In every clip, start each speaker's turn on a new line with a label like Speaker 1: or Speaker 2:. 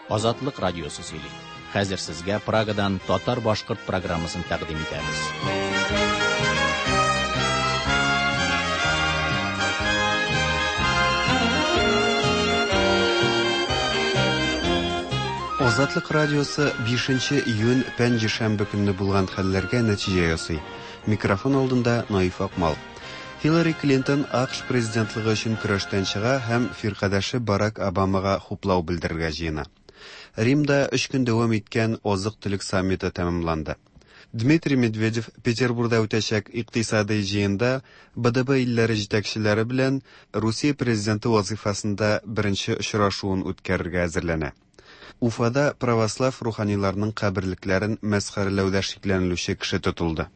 Speaker 1: Азатлык радиосы сөйли. Хәзер сезгә Прагадан татар-башкорт программасын тәкъдим итәбез.
Speaker 2: Азатлык радиосы 5 июнь пәнҗешәмбе көнне булган хәлләргә нәтиҗә ясый. Микрофон алдында Наиф Акмал. Хиллари Клинтон АКШ президентлыгы өчен көрәштән чыга һәм фиркадәше Барак Обамага хуплау белдерергә җыена. Римда өч көн дәвам иткән азык-төлек саммиты тәмамланды. Дмитрий Медведев Петербурда үтәчәк икътисадый җыенда БДБ илләре җитәкчеләре белән Русия президенты вазыйфасында беренче очрашуын үткәрергә әзерләнә. Уфада православ руханиларның каберлекләрен мәсхәрәләүдә шикләнелүче кеше тотылды.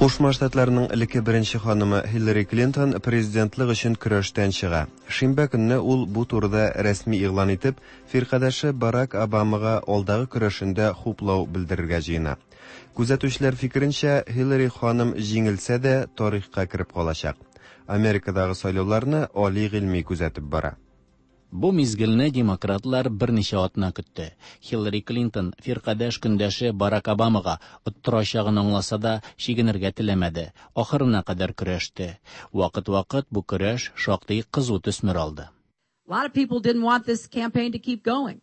Speaker 2: Кушма Штатларның элекке беренче ханымы Хиллари Клинтон президентлык өчен көрәштән чыга. Шимбә көнне ул бу турыда рәсми игълан итеп, фиркадәше Барак Обамага алдагы көрәшендә хуплау белдерергә җыена. Күзәтүчеләр фикеренчә, Хиллари ханым җиңелсә дә, тарихка кереп калачак. Америкадагы сайлауларны Али Гыйльми күзәтеп бара.
Speaker 1: Бу мизгелне демократлар берничә атна көтте. Хиллари Клинтон фиркадәш көндәше Барак Обамага оттырачагын аңласа да, чигенергә теләмәде. Ахырына кадәр көрәште. Вакыт-вакыт бу көрәш шактый кызу төсмер алды.
Speaker 3: A lot of people didn't want this campaign to keep going.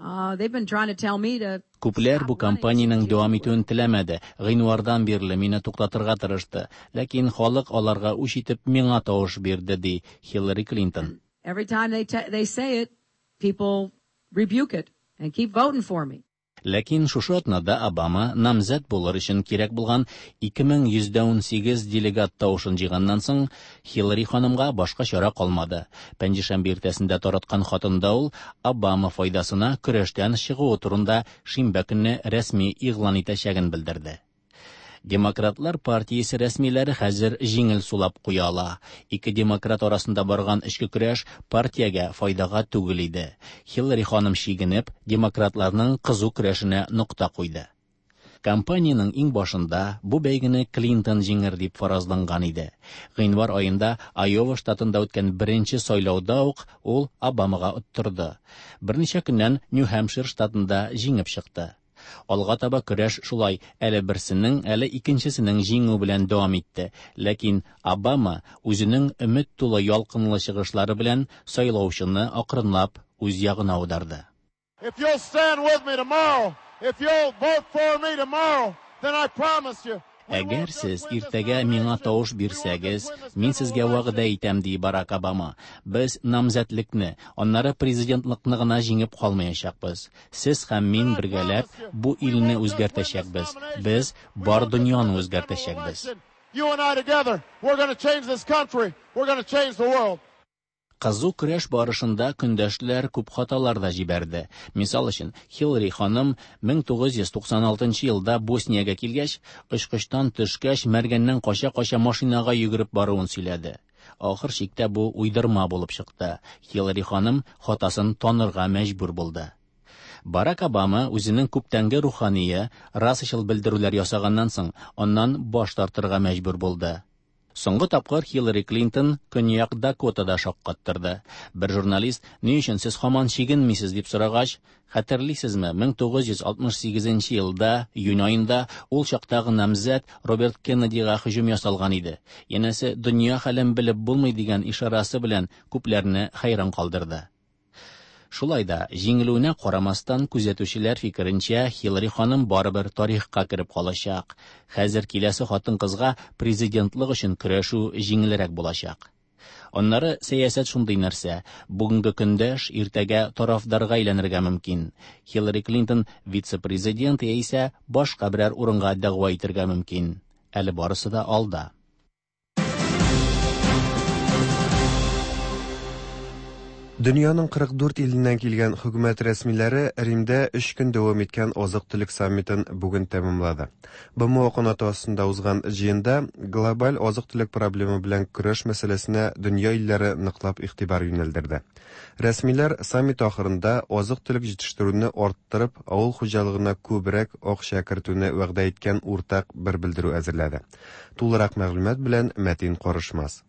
Speaker 3: Uh, they've been trying to tell me to
Speaker 1: Күпләр бу кампаниянең дәвам итүен теләмәде. Гыйнвардан бирле мине туктатырга тырышты. Ләкин халык аларга үч итеп миңа тавыш бирде, ди Хиллари Клинтон.
Speaker 3: Every time they they say it, people rebuke it and keep voting for me.
Speaker 1: Ләкин шушы атнада Обама намзәт булыр өчен кирәк булган 2118 делегат тавышын җыйганнан соң, Хиллари ханымга башка чара калмады. Пәнҗешәмбе иртәсендә тараткан хатында ул Обама файдасына көрәштән чыгуы турында шимбә көнне рәсми игълан итәчәген белдерде. Демократлар партиясе рәсмиләре хәзер җиңел сулап куя ала. Ике демократ арасында барган эчке көрәш партиягә файдага түгел иде. Хиллари ханым чигенеп, демократларның кызу көрәшенә нокта куйды. Кампаниянең иң башында бу бәйгене Клинтон җиңер дип фаразланган иде. Гыйнвар аенда Айова штатында үткән беренче сайлауда ук ул Обамага оттырды. Берничә көннән Нью-Хэмпшир штатында җиңеп чыкты. Алга таба көрәш шулай әле берсенең, әле икенчесенең җиңү белән дәвам итте. Ләкин Обама үзенең өмет тулы ялкынлы чыгышлары белән сайлаучыны акрынлап үз ягына аударды.
Speaker 4: If you'll stand with me tomorrow, if you'll vote for me tomorrow, then I promise you,
Speaker 1: Әгәр сез иртәгә миңа тавыш бирсәгез, мин сезгә вәгъдә итәм, ди Барак Обама. Без намзәтлекне, аннары президентлыкны гына җиңеп калмаячакбыз. Сез һәм мин бергәләп бу илне үзгәртәчәкбез. Без бар дөньяны үзгәртәчәкбез.
Speaker 4: You and I together, we're going to change this country. We're going to change the world.
Speaker 1: Кызу көрәш барышында көндәшләр күп хаталар да җибәрде. Мисал өчен, Хиллари ханым 1996 елда Босниягә килгәч, очкычтан төшкәч, мәргәннән кача-кача машинага йөгереп баруын сөйләде. Ахыр чиктә бу уйдырма булып чыкты. Хиллари ханым хатасын танырга мәҗбүр булды. Барак Обама үзенең күптәнге рухание расачыл белдерүләр ясаганнан соң, аннан баш тартырга мәҗбүр булды. Соңгы тапкыр Хиллари Клинтон Көньяк Дакотада шаккаттырды. Бер журналист, ни өчен сез һаман чигенмисез дип сорагач, хәтерлисезме, 1968 елда июнь аенда ул чактагы намзәт Роберт Кеннедига һөҗүм ясалган иде. Янәсе, дөнья хәлен белеп булмый дигән ишарасы белән күпләрне хәйран калдырды. Шулай да, җиңелүенә карамастан, күзәтүчеләр фикеренчә, Хиллари ханым барыбер тарихка кереп калачак. Хәзер киләсе хатын-кызга президентлык өчен көрәшү җиңелрәк булачак. Аннары сәясәт шундый нәрсә, бүгенге көндәш иртәгә тарафдарга әйләнергә мөмкин. Хиллари Клинтон вице-президент яисә башка берәр урынга дәгъва итергә мөмкин. Әле барысы да алда.
Speaker 2: Дөньяның 44 иленнән килгән хөкүмәт рәсмиләре Римдә 3 көн дәвам иткән азык-төлек саммитын бүген тәмамлады. БМО канаты астында узган җыенда глобаль азык-төлек проблемы белән көрәш мәсьәләсенә дөнья илләре ныклап игътибар юнәлдерде. Рәсмиләр саммит ахырында азык-төлек җитештерүне арттырып, авыл хуҗалыгына күбрәк акча кертүне вәгъдә иткән уртак бер белдерү әзерләде. Тулырак мәгълүмат белән Мәтин Карышмас.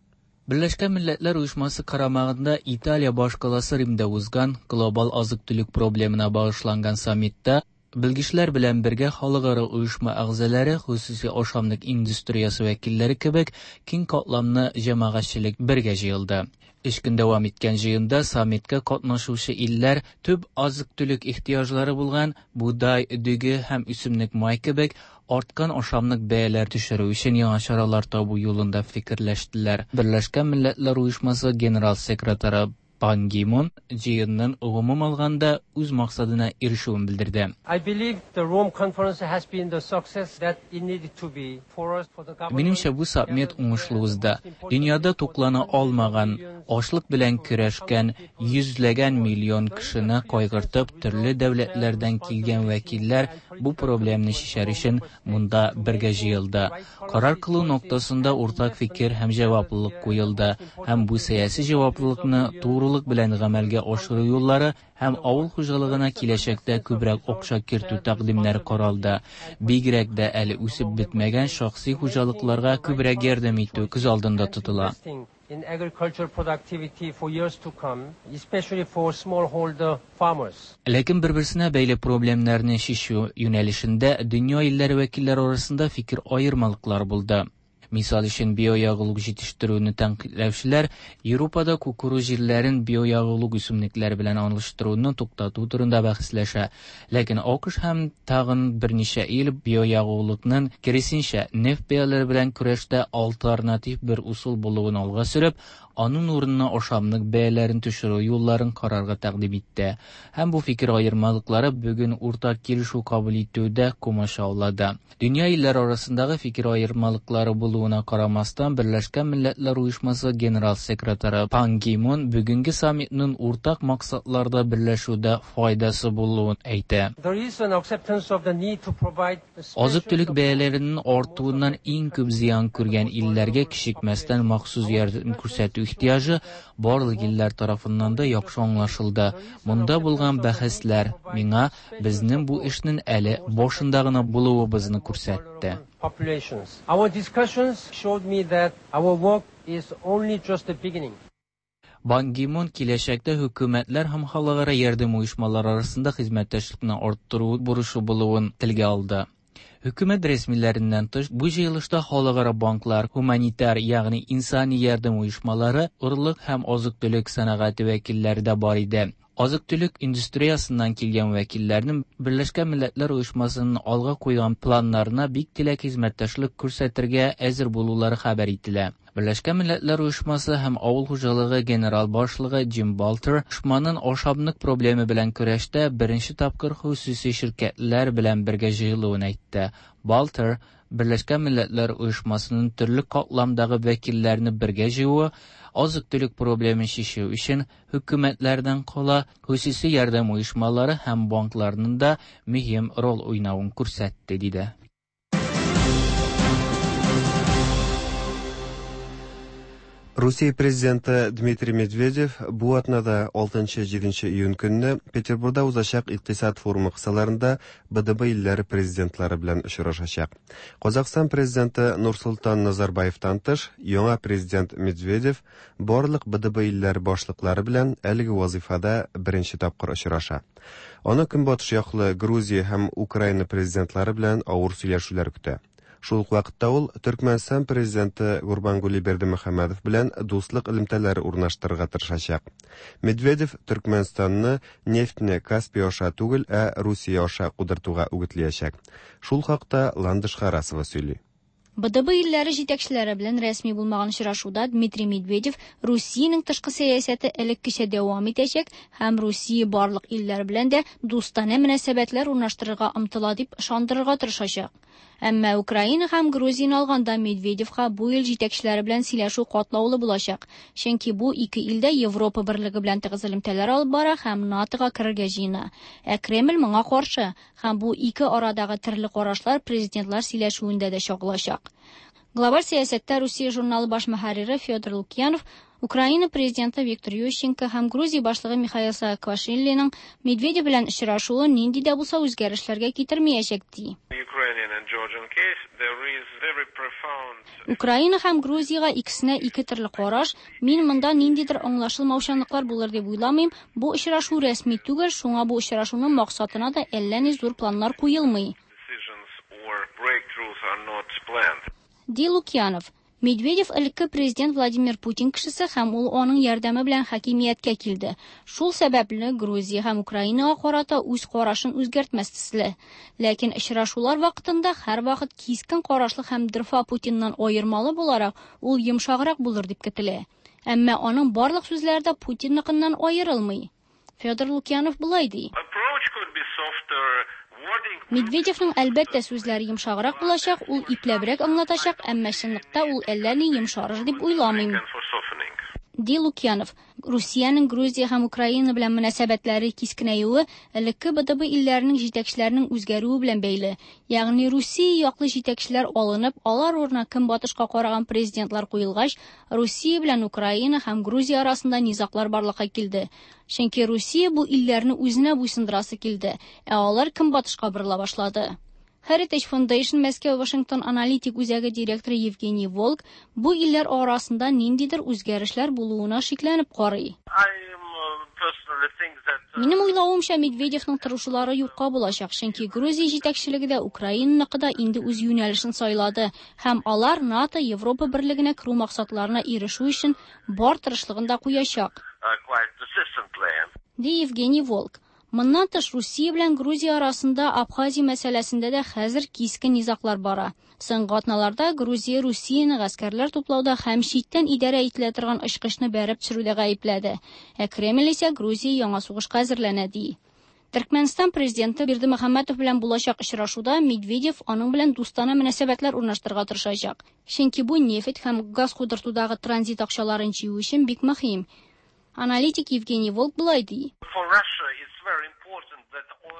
Speaker 5: Берләшкән Милләтләр Оешмасы карамагында Италия башкаласы Римда узган глобал азык-төлек проблемына багышланган саммитта белгечләр белән бергә халыкара оешма әгъзалары, хосуси ашамлык индустриясе вәкилләре кебек киң катламны җәмәгатьчелек бергә җыелды. Өч көн дәвам иткән җыенда саммитка катнашучы илләр төп азык-төлек ихтыяҗлары булган бодай, дөге һәм үсемлек май кебек арткан ашамлык бәяләр төшерү өчен яңа чаралар табу юлында фикерләштеләр. Берләшкән Милләтләр Оешмасы генерал секретаре Пан Ги Мун җыенның гомум алганда үз максатына ирешүен белдерде.
Speaker 6: I believe the Rome conference has been the success that it needed to be for us, for the government.
Speaker 5: Минемчә, бу саммит уңышлы узды. Дөньяда туклана алмаган, ачлык белән көрәшкән йөзләгән миллион кешене кайгыртып, төрле дәүләтләрдән килгән вәкилләр бу проблемны чишәр өчен монда бергә җыелды. Карар кылу ноктасында уртак фикер һәм җаваплылык куелды, һәм бу сәяси җаваплылыкны турылык белән гамәлгә ашыру юллары һәм авыл хуҗалыгына киләчәктә күбрәк акча кертү тәкъдимнәре каралды. Бигрәк дә әле үсеп бетмәгән шәхси хуҗалыкларга күбрәк ярдәм итү күз алдында тотыла.
Speaker 6: In agricultural productivity for years to come, especially for smallholder farmers.
Speaker 5: Ләкин бер-берсенә бәйле проблемнарны чишү юнәлешендә дөнья илләре вәкилләре арасында фикер аермалыклар булды. Мисал өчен, биоягулык җитештерүне тәнкыйтьләүчеләр Европада кукуруз җирләрен биоягулык үсемлекләре белән алыштыруны туктату турында бәхәсләшә. Ләкин АКШ һәм тагын берничә ил биоягулыкның киресенчә нефть бәяләре белән көрәштә альтернатив бер усул булуын алга сөреп, аның урынына ашамлык бәяләрен төшерү юлларын карарга тәкъдим итте. Һәм бу фикер аермалыклары бүген уртак килешү кабул итүдә комачаулады. Дөнья илләре арасындагы фикер аермалыклары булуына карамастан, Берләшкән Милләтләр Оешмасы генерал секретаре Пан Ги Мун бүгенге саммитның уртак максатларда берләшүдә файдасы булуын әйтә.
Speaker 6: There is an acceptance of the need to provide
Speaker 5: Азык-төлек бәяләренең артуыннан иң күп зыян күргән илләргә кичекмәстән махсус ярдәм күрсәтү ихтыяҗы барлык илләр тарафыннан да яхшы аңлашылды. Монда булган бәхәсләр миңа безнең бу эшнең әле башында гына булуыбызны күрсәтте.
Speaker 6: Populations. Our discussions showed me that our work is only just the beginning.
Speaker 5: Пан Ги Мун киләчәктә хөкүмәтләр һәм халыкара ярдәм оешмалары арасында хезмәттәшлекне арттыру бурычы булуын телгә алды. Хөкүмәт рәсмиләреннән тыш, бу җыелышта халыкара банклар, гуманитар, ягъни инсани ярдәм оешмалары, орлык һәм азык-төлек сәнәгате вәкилләре дә бар иде. Азык-төлек индустриясеннән килгән вәкилләрнең Берләшкән Милләтләр Оешмасының алга куйган планнарына бик теләк хезмәттәшлек күрсәтергә әзер булулары хәбәр ителә. Берләшкән Милләтләр Оешмасы һәм Авыл хуҗалыгы генерал башлыгы Джим Балтер оешманың ашамлык проблемы белән көрәштә беренче тапкыр хосуси ширкәтләр белән бергә җыелуын әйтте. Балтер Берләшкән Милләтләр Оешмасының төрле катламдагы вәкилләрне бергә җыюы азык-төлек проблемын чишү өчен хөкүмәтләрдән кала хосуси ярдәм оешмалары һәм банкларның да мөһим роль уйнавын күрсәтте, диде.
Speaker 2: Русия президенты Дмитрий Медведев бу атнада 6-7 июнь көнне Петербургда узачак икътисад форумы кысаларында БДБ илләре президентлары белән очрашачак. Казахстан президенты Нурсултан Назарбаевтан тыш, яңа президент Медведев барлык БДБ илләре башлыклары белән әлеге вазифада беренче тапкыр очраша. Аны Көнбатыш яклы Грузия һәм Украина президентлары белән авыр сөйләшүләр көтә. Шул ук вакытта ул Төркмәнстан президенты Гурбангули Бердымөхәммәдов белән дуслык элемтәләре урнаштырырга тырышачак. Медведев Төркмәнстанны нефтьне Каспий аша түгел, ә Русия аша кудыртуга үгетләячәк. Шул хакта Ландыш Харасова сөйли.
Speaker 7: БДБ илләре җитәкчеләре белән рәсми булмаган очрашуда Дмитрий Медведев Русиянең тышкы сәясәте элеккечә дәвам итәчәк һәм Русия барлык илләр белән дә дустанә мөнәсәбәтләр урнаштырырга омтыла дип ышандырырга тырышачак. Әмма Украина һәм Грузияне алганда Медведевка бу ил җитәкчеләре белән сөйләшү катлаулы булачак. Чөнки бу ике ил дә Европа берлеге белән тыгыз элемтәләр алып бара һәм НАТОга керергә җыена. Ә Кремль моңа каршы һәм бу ике арадагы төрле карашлар президентлар сөйләшүендә дә чагылачак. Глобаль сәясәттә Русия журналы баш мөхәррире Федор Лукьянов Украина президенты Виктор Ющенко һәм Грузия башлыгы Михаил Саакашвилиның Медведев белән очрашуы нинди дә булса үзгәрешләргә китермәячәк ди. Украина һәм Грузиягә икесенә ике төрле караш. Мин монда ниндидер аңлашылмаучанлыклар булыр дип уйламыйм. Бу очрашу рәсми түгел, шуңа бу очрашуның максатына да әллә ни зур планнар куелмый. Ди Лукьянов. Медведев элекке президент Владимир Путин кешесе һәм ул аның ярдәме белән хакимияткә килде. Шул сәбәпле Грузия һәм Украинага карата үз карашын үзгәртмәс төсле. Ләкин очрашулар вакытында һәрвакыт кискен карашлы һәм дорфа Путиннан аермалы буларак, ул йомшаграк булыр дип көтелә. Әмма аның барлык сүзләре дә Путинныкыннан аерылмый. Федор Лукьянов болай ди. Медведевның әлбәттә сүзләре йомшаграк булачак, ул ипләбрәк аңлатачак, әмма чынлыкта ул әллә ни йомшарыр дип уйламыйм. Ди Лукьянов. Русиянең Грузия һәм Украина белән мөнәсәбәтләре кискенәюе элекке БДБ илләренең җитәкчеләренең үзгәрүе белән бәйле. Ягъни Русия яклы җитәкчеләр алынып, алар урынына көнбатышка караган президентлар куелгач, Русия белән Украина һәм Грузия арасында низаглар барлыкка килде. Чөнки Русия бу илләрне үзенә буйсындырасы килде, ә алар көнбатышка борыла башлады. Heritage Foundation Мәскәү Вашингтон аналитик үзәге директоры Евгений Волк бу илләр арасында ниндидер үзгәрешләр булуына шикләнеп карый. Минем уйлавымча, Медведевның тырышулары юкка булачак, чөнки Грузия җитәкчелеге дә Украинаныкы да инде үз юнәлешен сайлады һәм алар НАТО Европа берлегенә керү максатларына ирешү өчен бар тырышлыгын да куячак. Ди Евгений Волк. Моннан тыш Русия белән Грузия арасында Абхазия мәсьәләсендә дә хәзер кискен низаглар бара. Соңгы атналарда Грузия Русияне гаскәрләр туплауда һәм читтән идарә ителә торган очкычны бәреп төшерүдә гаепләде. Ә Кремль исә Грузия яңа сугышка әзерләнә ди. Төркмәнстан президенты Бердымөхәммәтов белән булачак очрашуда Медведев аның белән дустана мөнәсәбәтләр урнаштырырга тырышачак. Чөнки бу нефть һәм газ кудыртудагы транзит акчаларын җыю өчен бик мөһим. Аналитик Евгений Волк болай ди.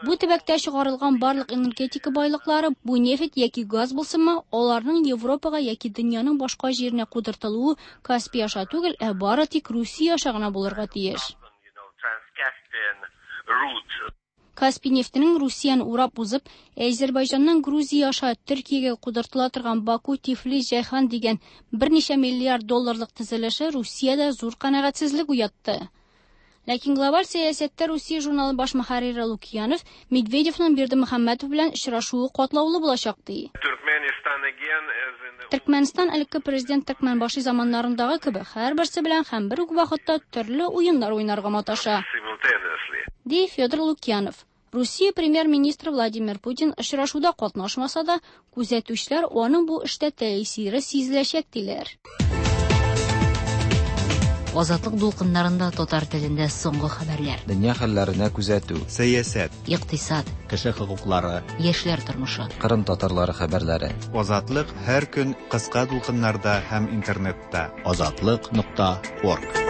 Speaker 7: Бу төбәктә чыгарылган барлык энергетика байлыклары, бу нефть яки газ булсынмы, аларның Европага яки дөньяның башка җиренә кудыртылуы Каспий аша түгел, ә бары тик Русия аша гына булырга тиеш. Каспий нефтенең Русияне урап узып, Әзербайҗаннан Грузия аша Төркиягә кудыртыла торган Баку-Тифлис-Җәйхан дигән берничә миллиард долларлык төзелеше Русиядә зур канәгатьсезлек уятты. Ләкин глобаль сәясәттә Русия журналы баш мөхәррире Лукьянов Медведевның Бердымөхәммәтов белән очрашуы катлаулы булачак ди. Төркмәнстан элекке президент Төркмәнбаши заманнарындагы кебек һәрберсе белән һәм бер үк вакытта төрле уеннар уйнарга маташа. Ди Федор Лукьянов. Русия премьер-министры Владимир Путин очрашуда катнашмаса да, күзәтүчеләр аның бу эштә тәэсире сизеләчәк диләр.
Speaker 8: Азатлык дулкыннарында татар телендә соңгы хәбәрләр.
Speaker 9: Дөнья хәлләренә күзәтү.
Speaker 2: Сәясәт.
Speaker 8: Икътисад.
Speaker 1: Кеше хокуклары.
Speaker 8: Яшьләр тормышы.
Speaker 9: Кырым татарлары хәбәрләре.
Speaker 2: Азатлык һәр көн кыска дулкыннарда һәм интернетта.
Speaker 1: Азатлык.орг.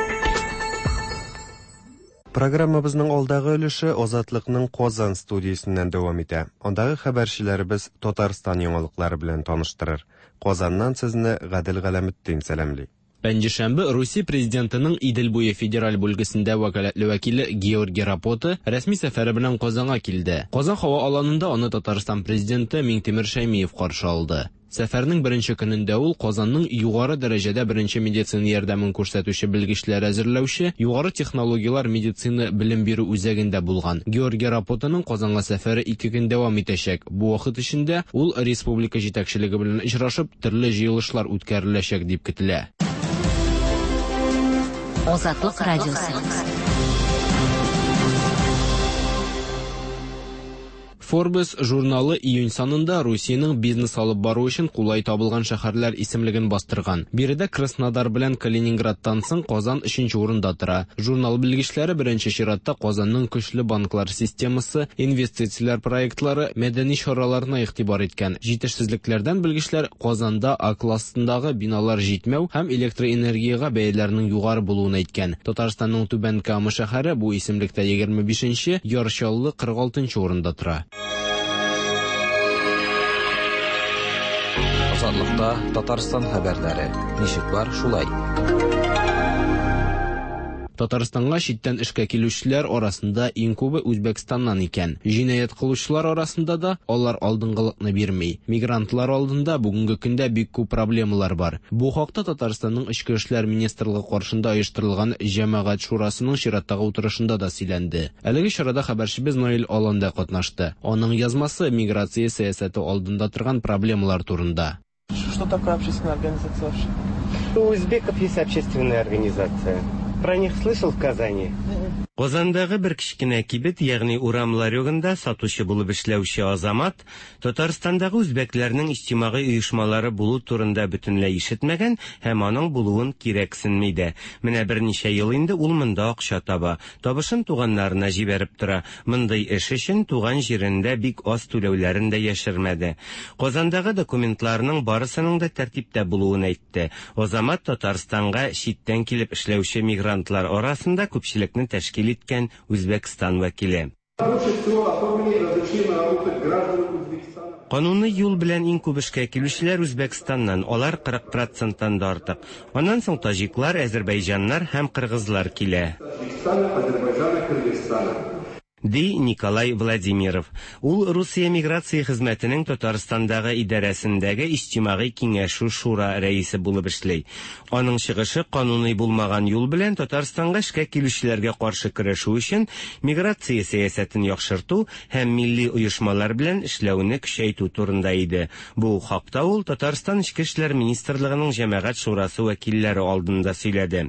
Speaker 2: Программабызның алдагы өлеше Азатлыкның Казан студиясеннән дәвам итә. Андагы хәбәрчеләребез Татарстан яңалыклары белән таныштырыр. Казаннан сезне Гадел Галәметдин сәламли.
Speaker 10: Пәнҗешәмбе Русия президентының Идел буе федераль бүлгесендә вәкаләтле вәкиле Георгий Рапота рәсми сәфәре белән Казанга килде. Казан һава аланында аны Татарстан президенты Миңтимер Шәймиев каршы алды. Сәфәрнең беренче көнендә ул Казанның югары дәрәҗәдә беренче медицина ярдәмен күрсәтүче белгечләр әзерләүче югары технологияләр медицина белем бирү үзәгендә булган. Георгий Рапотаның Казанга сәфәре 2 көн дәвам итәчәк. Бу вакыт эчендә ул республика җитәкчелеге белән очрашып, төрле җыелышлар үткәреләчәк дип көтелә.
Speaker 8: Азатлык радиосы.
Speaker 10: Forbes журналы июнь санында Русиянең бизнес алып бару өчен кулай табылган шәһәрләр исемлеген бастырган. Биредә Краснодар белән Калининградтан соң Казан өченче урында тора. Журнал белгечләре беренче чиратта Казанның көчле банклар системасы, инвестицияләр проектлары, мәдәни чараларына игътибар иткән. Җитешсезлекләрдән белгечләр Казанда А классындагы биналар җитмәү һәм электроэнергиягә бәяләрнең югары булуын әйткән. Татарстанның Түбән Кама шәһәре бу исемлектә 25 нче, Яр Чаллы 46 нчы урында тора.
Speaker 9: Азатлыкта Татарстан хәбәрләре. Ничек бар, шулай.
Speaker 10: Татарстанга читтән эшкә килүчеләр арасында иң күбе Үзбәкстаннан икән. Җинаять кылучылар арасында да алар алдынгылыкны бирми. Мигрантлар алдында бүгенге көндә бик күп проблемалар бар. Бу хакта Татарстанның Эчке эшләр министрлыгы каршында оештырылган Җәмәгать шурасының чираттагы утырышында да сөйләнде. Әлеге чарада хәбәрчебез Наил Алан да катнашты. Аның язмасы миграция сәясәте алдында торган проблемалар турында.
Speaker 11: Что такое общественная организация вообще?
Speaker 12: У узбеков есть общественная организация. Про них слышал в Казани?
Speaker 13: Казандагы бер кечкенә кибет, ягъни урам ларегында сатучы булып эшләүче Азамат Татарстандагы үзбәкләрнең иҗтимагый оешмалары булу турында бөтенләй ишетмәгән һәм аның булуын кирәксенми дә. Менә берничә ел инде ул монда акча таба. Табышын туганнарына җибәреп тора. Мондый эш өчен туган җирендә бик аз түләүләрен дә яшермәде. Казандагы документларының барысының да тәртиптә булуын әйтте. Азамат Татарстанга читтән килеп эшләүче мигрантлар арасында күпчелекне тәшкил иткән Үзбәкстан вәкиле. Кануный юл белән иң күп эшкә килүчеләр Үзбәкстаннан, алар 40 проценттан да артык. Аннан соң таҗиклар, әзербәйҗаннар һәм кыргызлар килә. Ди Николай Владимиров. Ул Русия миграция хезмәтенең Татарстандагы идарәсендәге иҗтимагый киңәшү шура рәисе булып эшли. Аның чыгышы кануный булмаган юл белән Татарстанга эшкә килүчеләргә каршы көрәшү өчен миграция сәясәтен яхшырту һәм милли оешмалар белән эшләүне көчәйтү турында иде. Бу хакта ул Татарстан Эчке эшләр министрлыгының җәмәгать шурасы вәкилләре алдында сөйләде.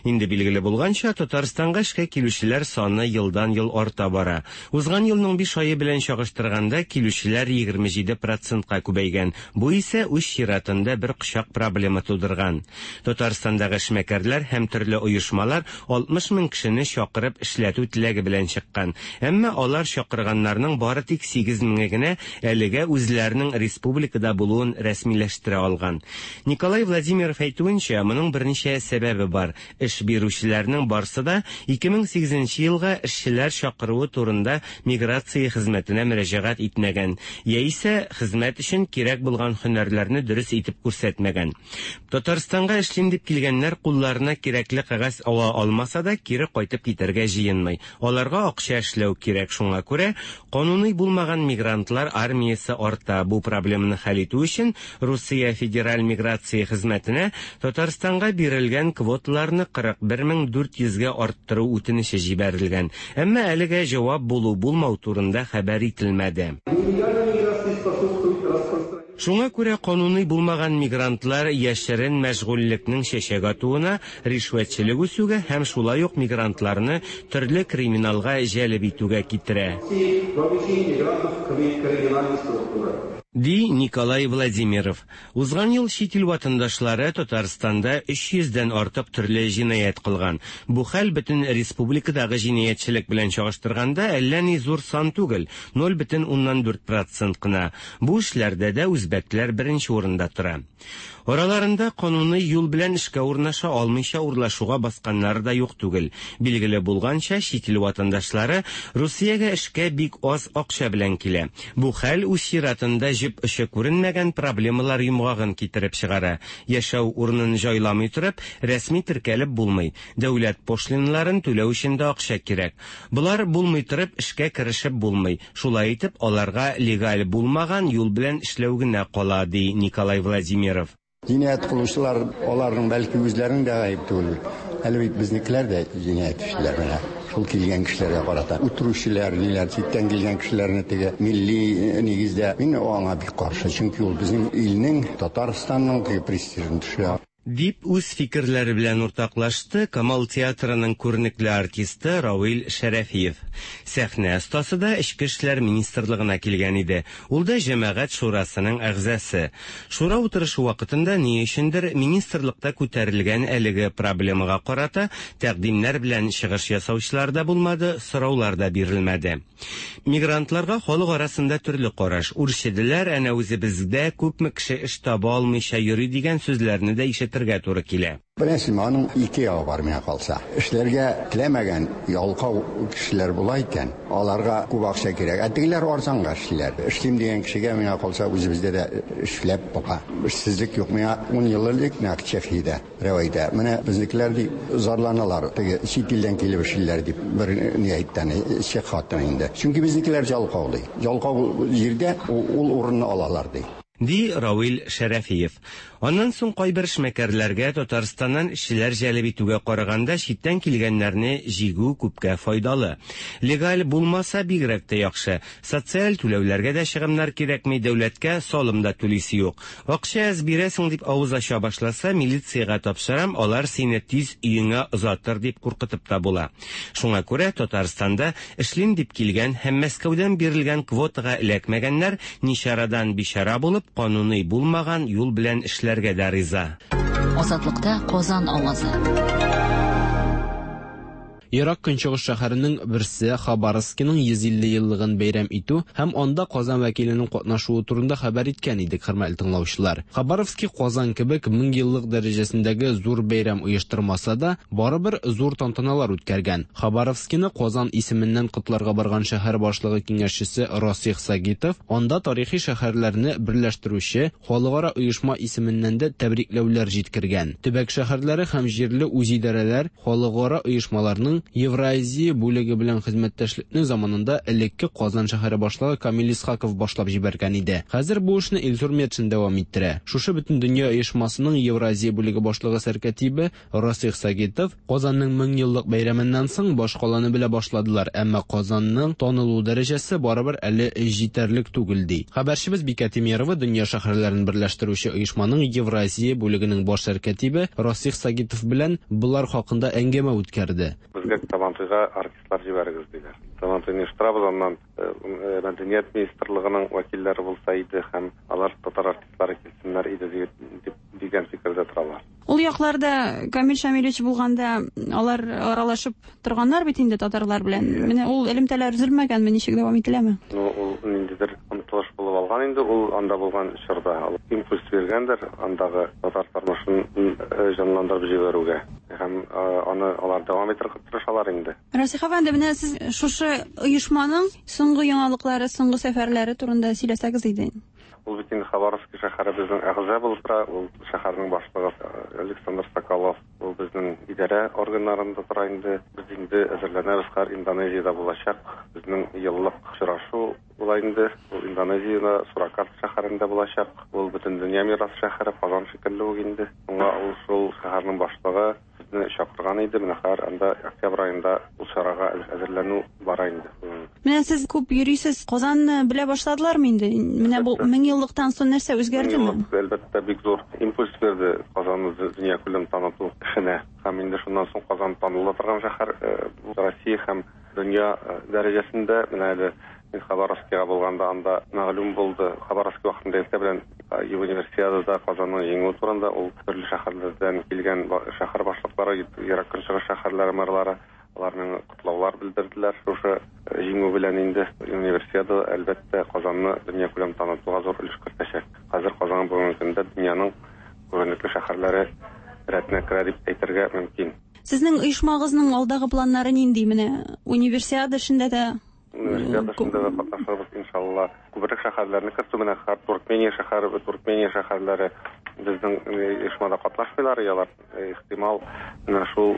Speaker 13: Инде билгеле булганча, Татарстанга эшкә килүчеләр саны елдан-ел арта бара. Узган елның биш ае белән чагыштырганда, килүчеләр 27 процентка күбәйгән. Бу исә үз чиратында бер кочак проблема тудырган. Татарстандагы эшмәкәрләр һәм төрле оешмалар 60 мең кешене чакырып эшләтү теләге белән чыккан. Әмма алар чакырганнарның бары тик 8 меңе генә әлегә үзләренең республикада булуын рәсмиләштерә алган. Николай Владимиров әйтүенчә, моның берничә сәбәбе бар. Эш бирүчеләрнең барсы да 2008 нче елга эшчеләр чакыруы турында миграция хезмәтенә мөрәҗәгать итмәгән, яисә хезмәт өчен кирәк булган һөнәрләрне дөрес итеп күрсәтмәгән. Татарстанга эшлим дип килгәннәр кулларына кирәкле кәгазь ала алмаса да, кире кайтып китәргә җыенмый. Аларга акча эшләү кирәк, шуңа күрә кануный булмаган мигрантлар армиясе арта. Бу проблеманы хәл итү өчен Русия Федераль миграция хезмәтенә Татарстанга бирелгән квоталарны 41 400 гә арттыру үтенече җибәрелгән. Әмма әлегә җавап булу-булмау турында хәбәр ителмәде. Шуңа күрә кануный булмаган мигрантлар яшерен мәшгульлекнең чәчәк атуына, ришвәтчелек үсүгә һәм шулай ук мигрантларны төрле криминалга җәлеп итүгә китерә. Ди Николай Владимиров. Узган ел чит ил ватандашлары Татарстанда 300 дән артык төрле җинаять кылган. Бу хәл бөтен республикадагы җинаятьчелек белән чагыштырганда әллә ни зур сан түгел, 0,4 процент кына. Бу эшләрдә дә үзбәкләр беренче урында тора. Араларында кануный юл белән эшкә урнаша алмыйча урлашуга басканнары да юк түгел. Билгеле булганча, чит ил ватандашлары Русиягә эшкә бик аз акча белән килә. Бу хәл үз чиратында җеп очы күренмәгән проблемалар йомгагын китереп чыгара. Яшәү урынын җайламый торып, рәсми теркәлеп булмый. Дәүләт пошлиналарын түләү өчен дә акча кирәк. Болар булмый торып, эшкә керешеп булмый. Шулай итеп, аларга легаль булмаган юл белән эшләү генә кала, ди Николай Владимиров.
Speaker 14: Җинаять кылучылар, аларның бәлки үзләренең дә гаеп түгел бит. Әле бит безнекеләр дә җинаять эшлиләр менә. Шул килгән кешеләргә карата. Үтерүчеләр, ниләр, читтән килгән кешеләрне теге милли нигездә. Мин аңа бик каршы, чөнки ул безнең илнең, Татарстанның теге престижын төшерә.
Speaker 13: Дип үз фикерләре белән уртаклашты Камал театрының күренекле артисты Равил Шәрәфиев. Сәхнә остасы да Эчке эшләр министрлыгына килгән иде. Ул да Җәмәгать шурасының әгъзасы. Шура утырышы вакытында ни өчендер министрлыкта күтәрелгән әлеге проблемага карата тәкъдимнәр белән чыгыш ясаучылар да булмады, сораулар да бирелмәде. Мигрантларга халык арасында төрле караш. Үрчеделәр, әнә үзебездә күпме кеше эш таба алмыйча йөри дигән сүзләрне дә ишетергә туры килә.
Speaker 14: Беләсезме, аның ике ягы бар миңа калса. Эшләргә теләмәгән ялкау кешеләр була икән, аларга күп акча кирәк. Ә тегеләр арзанга эшлиләр. Эшлим дигән кешегә, миңа калса, үзебездә дә эшләп була. Эшсезлек юк. Миңа ун ел элек нәкъ Чехиядә Берәү әйтә, менә безнекеләр ди, зарланалар, теге чит илдән килеп эшлиләр дип, бер ни әйтте әни, чех хатыны инде. Чөнки безнекеләр җалкау ди. Җалкау җирдә ул урынны алалар ди.
Speaker 13: Ди Равил Шәрәфиев. Аннан соң кайбер эшмәкәрләргә Татарстаннан эшчеләр җәлеп итүгә караганда читтән килгәннәрне җигү күпкә файдалы. Легаль булмаса бигрәк тә яхшы. Социаль түләүләргә дә чыгымнар кирәкми, дәүләткә салым да түлисе юк. Акча әз бирәсең дип авыз ача башласа, милициягә тапшырам, алар сине тиз өеңә озатыр дип куркытып та була. Шуңа күрә Татарстанда эшлим дип килгән һәм Мәскәүдән бирелгән квотага эләкмәгәннәр ничарадан бичара булып, кануный булмаган юл белән эшләргә дә риза.
Speaker 8: Азатлыкта Казан авазы.
Speaker 10: Ерак Көнчыгыш шәһәренең берсе Хабаровскиның 150 еллыгын бәйрәм итү һәм анда Казан вәкиленең катнашуы турында хәбәр иткән идек, хөрмәтле тыңлаучылар. Хабаровски Казан кебек 1000 еллык дәрәҗәсендәге зур бәйрәм оештырмаса да, барыбер зур тантаналар үткәргән. Хабаровскины Казан исеменнән котларга барган шәһәр башлыгы киңәшчесе Расих Сагитов анда тарихи шәһәрләрне берләштерүче халыкара оешма исеменнән дә тәбрикләүләр җиткергән. Төбәк шәһәрләре һәм җирле үзидарәләр Халыкара оешмаларның Евразия бүлеге белән хезмәттәшлекне заманында элекке Казан шәһәре башлыгы Камил Исхаков башлап җибәргән иде. Хәзер бу эшне Илсур Метшин дәвам иттерә. Шушы Бөтендөнья оешмасының Евразия бүлеге башлыгы сәркәтибе Расих Сагитов, Казанның меңьеллык бәйрәменнән соң башкаланы белә башладылар, әмма Казанның танылу дәрәҗәсе барыбер әле җитәрлек түгел, ди. Хәбәрчебез Бикә Тимерова дөнья шәһәрләрен берләштерүче оешманың Евразия бүлегенең баш сәркәтибе Расих Сагитов белән болар хакында әңгәмә үткәрде.
Speaker 15: Безгә Сабантуйга артистлар җибәрегез, диләр. Сабантуйны оештырабыз, аннан мәдәният министрлыгының вәкилләре булса иде һәм алар татар артистлары килсеннәр иде дип дигән фикердә торалар.
Speaker 16: Ул якларда Камил Шамилевич булганда алар аралашып торганнар бит инде татарлар белән. Менә ул элемтәләр өзелмәгәнме, ничек дәвам ителәме?
Speaker 15: Ну, ул ниндидер омтылыш булып алган инде, ул анда булган чорда. Ул импульс биргәндер андагы татар тормышын җанландырып җибәрүгә. Һәм аны алар дәвам итәргә тырышалар инде.
Speaker 16: Расих әфәнде, менә сез шушы оешманың соңгы яңалыклары, соңгы сәфәрләре турында сөйләсәгез иде.
Speaker 15: Ул бит инде Хабаровски шәһәре безнең әгъза булып тора, ул шәһәрнең башлыгы Александр Соколов, ул безнең идарә органнарында тора инде. Без инде әзерләнәбез, хәзер Индонезиядә булачак безнең еллык очрашу була инде. Ул Индонезиядә, Суракарта шәһәрендә булачак. Ул Бөтендөнья мирас шәһәре, Казан шикелле үк инде. Шуңа ул шул шәһәрнең башлыгы Безне чакырган иде, менә хәзер анда октябрь аенда ул чарага әзерләнү бара инде.
Speaker 16: Менә сез күп йөрисез, Казанны белә башладылармы инде? Менә бу меңьеллыктан соң нәрсә үзгәрдеме?
Speaker 15: Меңьеллык, әлбәттә, бик зур импульс бирде Казанны дөньякүләм таныту эшенә. Һәм инде шуннан соң Казан таныла торган шәһәр Россия һәм дөнья дәрәҗәсендә. Менә әле Мин Хабаровскига булганда анда мәгълүм булды. Хабаровски вакытында иртә белән Универсиадада Казанның җиңүе турында ул төрле шәһәрләрдән килгән шәһәр башлыклары, Ерак Көнчыгыш шәһәрләре мэрлары алар миңа котлаулар белдерделәр. Шушы җиңү белән инде Универсиада, әлбәттә, Казанны дөньякүләм танытуга зур өлеш кертәчәк. Хәзер Казан бүгенге көндә дөньяның күренекле шәһәрләре рәтенә керә дип әйтергә мөмкин.
Speaker 16: Сезнең оешмагызның алдагы планнары нинди? Менә Универсиада эшендә дә
Speaker 15: Универсиада эшендә дә катнашырбыз, иншалла. Күбрәк шәһәрләрне кертү, менә хәзер Туркмения шәһәре, Туркмения шәһәрләре безнең оешмада катнашмыйлар, алар ихтимал, менә шул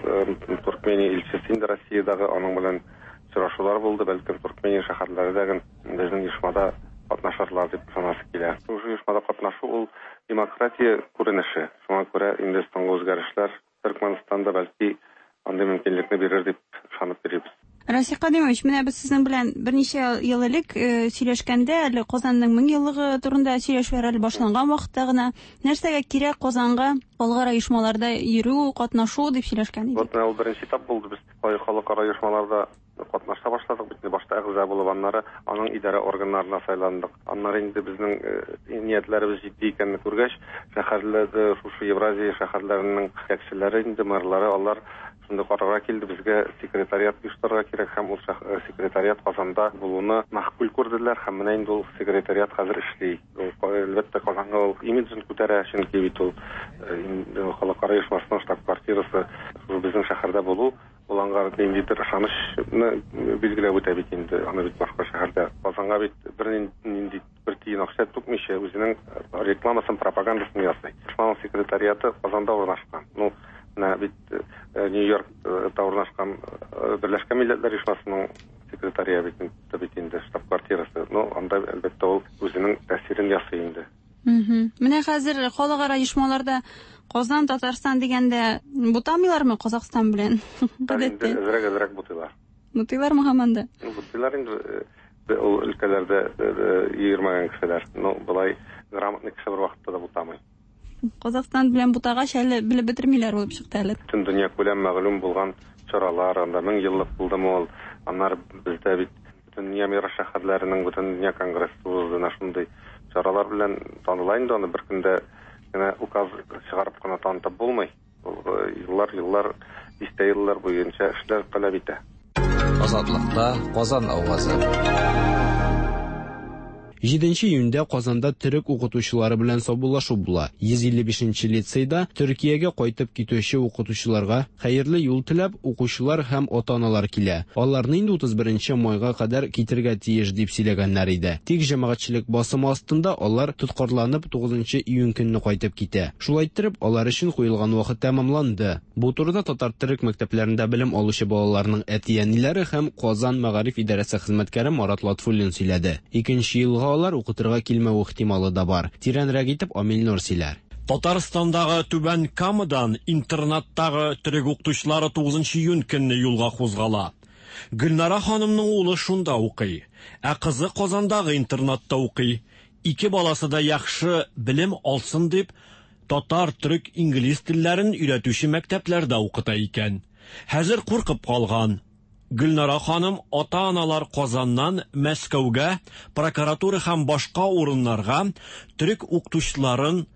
Speaker 15: Туркмения илчесе инде Россиядәге, аның белән очрашулар булды, бәлкем Туркмения шәһәрләре дә безнең оешмада катнашырлар дип ышанасы килә. Шушы оешмада катнашу ул демократия күренеше. Шуңа күрә инде соңгы үзгәрешләр Төркмәнстан да бәлки андый мөмкинлекне бирер дип ышанып йөрибез.
Speaker 16: Расих Кадимович, менә без сезнең белән берничә ел элек э, сөйләшкәндә, әле Казанның 1000 еллыгы турында сөйләшүләр әле башланган вакытта гына, нәрсәгә кирәк Казанга халыкара оешмаларда йөрү, катнашу дип сөйләшкән идек.
Speaker 15: Вот менә ул беренче этап булды. Без халыкара оешмаларда катнаша башладык бит инде башта әгъза булып, аннары аның идарә органнарына сайландык. Аннары инде безнең э, ниятләребез җитди икәнне күргәч, шәһәрләрдә шушы Евразия шәһәрләренең җитәкчеләре инде мэрлары алар шундый карарга килде, безгә секретариат оештырырга кирәк һәм ул э, секретариат Казанда булуны мәгъкуль күрделәр һәм менә инде ул секретариат хәзер эшли. Ул, әлбәттә, Казанга ул имиджын күтәрә, чөнки бит ул э, халыкара оешмасының штаб-квартирасы безнең шәһәрдә булу ул аңа ниндидер ышанычны билгеләп үтә бит инде. Аны бит башка шәһәрдә Казанга бит бернинди бер тиен акча түкмичә үзенең рекламасын, пропагандасын ясый. Оешманың секретариаты Казанда урнашкан. Ну, менә бит э, Нью-Йоркта урнашкан э, Берләшкән Милләтләр Оешмасының секретариаты бит инде штаб-квартирасы. Ну, анда әлбәттә ул үзенең тәэсирен ясый инде.
Speaker 16: Менә хәзер халыкара оешмаларда Казан, Татарстан дигәндә бутамыйлармы Казахстан белән?
Speaker 15: Гадәттә. Әзрәк-әзрәк бутыйлар.
Speaker 16: Бутыйлармы һаман да?
Speaker 15: Ну, бутыйлар инде э, ул өлкәләрдә э, э, йөрмәгән кешеләр. Ну, болай грамотный кеше бер вакытта да бутамый.
Speaker 16: Казахстан белән бутагач әле белеп бетермиләр булып чыкты әле.
Speaker 15: Бөтен дөнья күләм мәгълүм булган чаралар, анда 1000 еллык булдымы ул, аннары бездә бит Бөтендөнья мирас шәһәрләренең Бөтендөнья конгрессы узды, менә шундый чаралар белән таныла инде аны бер көндә генә указ чыгарып кына танытып булмый. Ул э, еллар, еллар, дистә еллар буенча эшләр таләп итә.
Speaker 9: Азатлыкта Казан авазы.
Speaker 10: 7 июньдә Казанда төрек укытучылары белән саубуллашу була. 155 нче лицейда Төркиягә кайтып китүче укытучыларга хәерле юл теләп, укучылар һәм ата-аналар килә. Аларны инде 31 нче майга кадәр китергә тиеш дип сөйләгәннәр иде. Тик җәмәгатьчелек басымы астында алар тоткарланып 9 нчы июнь көнне кайтып китә. Шулай иттереп, алар өчен куелган вакыт тәмамланды. Бу турыда татар-төрек мәктәпләрендә белем алучы балаларның әти-әниләре һәм Казан мәгариф идарәсе хезмәткәре Марат Латфуллин сөйләде. Икенче елга алар укытырга килмәү ихтималы да бар. Тирәнрәк итеп Амил Нур сөйләр.
Speaker 17: Татарстандагы Түбән Камадан интернаттагы төрек укытучылары 9 июнь көнне юлга кузгала. Гөлнара ханымның улы шунда укый, ә кызы Казандагы интернатта укый. Ике баласы да яхшы белем алсын дип, татар, төрек, инглиз телләрен өйрәтүче мәктәпләрдә укыта икән. Хәзер куркып калган. Гөлнара ханым ата-аналар Казаннан Мәскәүгә, прокуратура һәм башка урыннарга төрек укытучыларын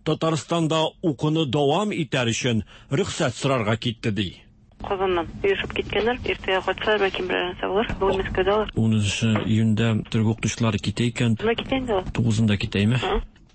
Speaker 17: Татарстанда укуны дәвам итәр өчен рөхсәт сорарга китте, ди.
Speaker 18: Казаннан оешып киткәннәр. Иртәгә кайтсалар, бәлки берәр нәрсә булыр. Бүген Мәскәүдә алар.
Speaker 17: 10 июньдә төрек укытучылары китә икән.
Speaker 18: Менә китә инде ул.
Speaker 17: 9-ында китә, име?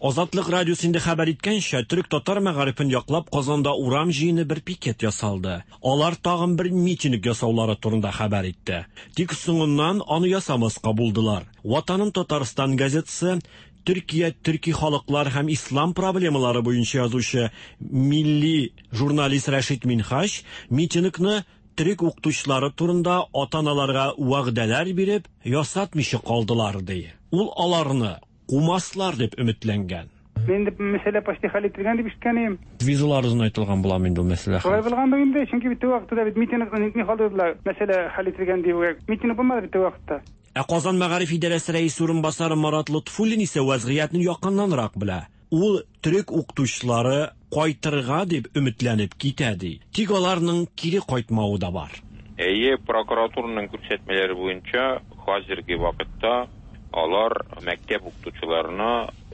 Speaker 17: Азатлык радиосы инде хәбәр иткәнчә, төрек-татар мәгарифен яклап Казанда урам җыены бер пикет ясалды. Алар тагын бер митинг ясаулары турында хәбәр итте. Тик соңыннан аны ясамаска булдылар. Ватаным Татарстан газетасы Төркия төрки халыклар һәм ислам проблемалары буенча язучы милли журналист Рәшит Минһаҗ митингны төрек укытучылары турында ата-аналарга вәгъдәләр биреп ясатмыйча калдылар, ди. Ул аларны кумаслар дип өметләнгән.
Speaker 19: Инде мәсьәлә почти хәл ителгән дип ишеткән идем.
Speaker 17: Визалар озынайтылган буламы инде ул мәсьәлә?
Speaker 19: Шулай булгандыр инде, чөнки бит теге вакытта да бит митингны нитми калдырдылар, мәсьәлә хәл ителгән дип. Митинг булмады бит теге вакытта.
Speaker 17: Ә Казан мәгариф идарәсе рәисе урынбасары Марат Лотфуллин исә вәзгыятьне якыннанрак белә. Ул төрек укытучылары кайтырга дип өметләнеп китә ди. Тик аларның кире кайтмавы да бар.
Speaker 20: Әйе, прокуратураның күрсәтмәләре буенча, хәзерге вакытта алар мәктәп укытучыларына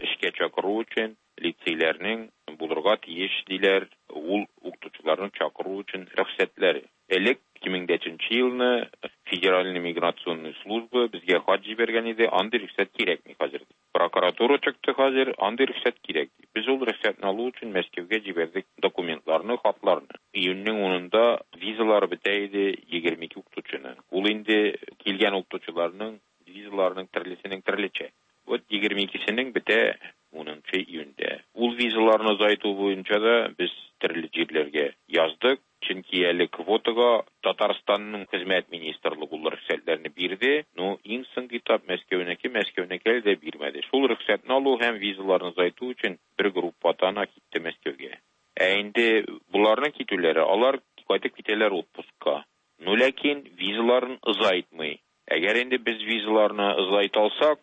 Speaker 20: эшкә чакыру өчен лицейләрнең булырга тиеш, диләр, ул укытучыларны чакыру өчен рөхсәтләре. Элек, 2003 нче елны, Федеральный миграционный служба безгә хат җибәргән иде, андый рөхсәт кирәкми хәзер, дип. Прокуратура чыкты хәзер, андый рөхсәт кирәк, ди. Без ул рөхсәтне алу өчен Мәскәүгә җибәрдек документларны, хатларны. Июньнең унында визалары бетә иде 22 укытучының. Ул инде килгән укытучыларның визаларының төрлесенең төрлечә. Вот 22сенең бетә унынчы июньдә. Ул визаларны озайту буенча да без төрле җирләргә яздык. Чөнки әле квотага Татарстанның хезмәт министрлыгы ул рөхсәтләрне бирде, но иң соңгы этап Мәскәүнеке, Мәскәүнеке әле дә бирмәде. Шул рөхсәтне алу һәм визаларны озайту өчен бер группа ата-ана китте Мәскәүгә. Ә инде боларның китүләре, алар кайтып китәләр отпускка. Ну ләкин визаларын озайтмый. Әгәр инде без визаларны озайта алсак,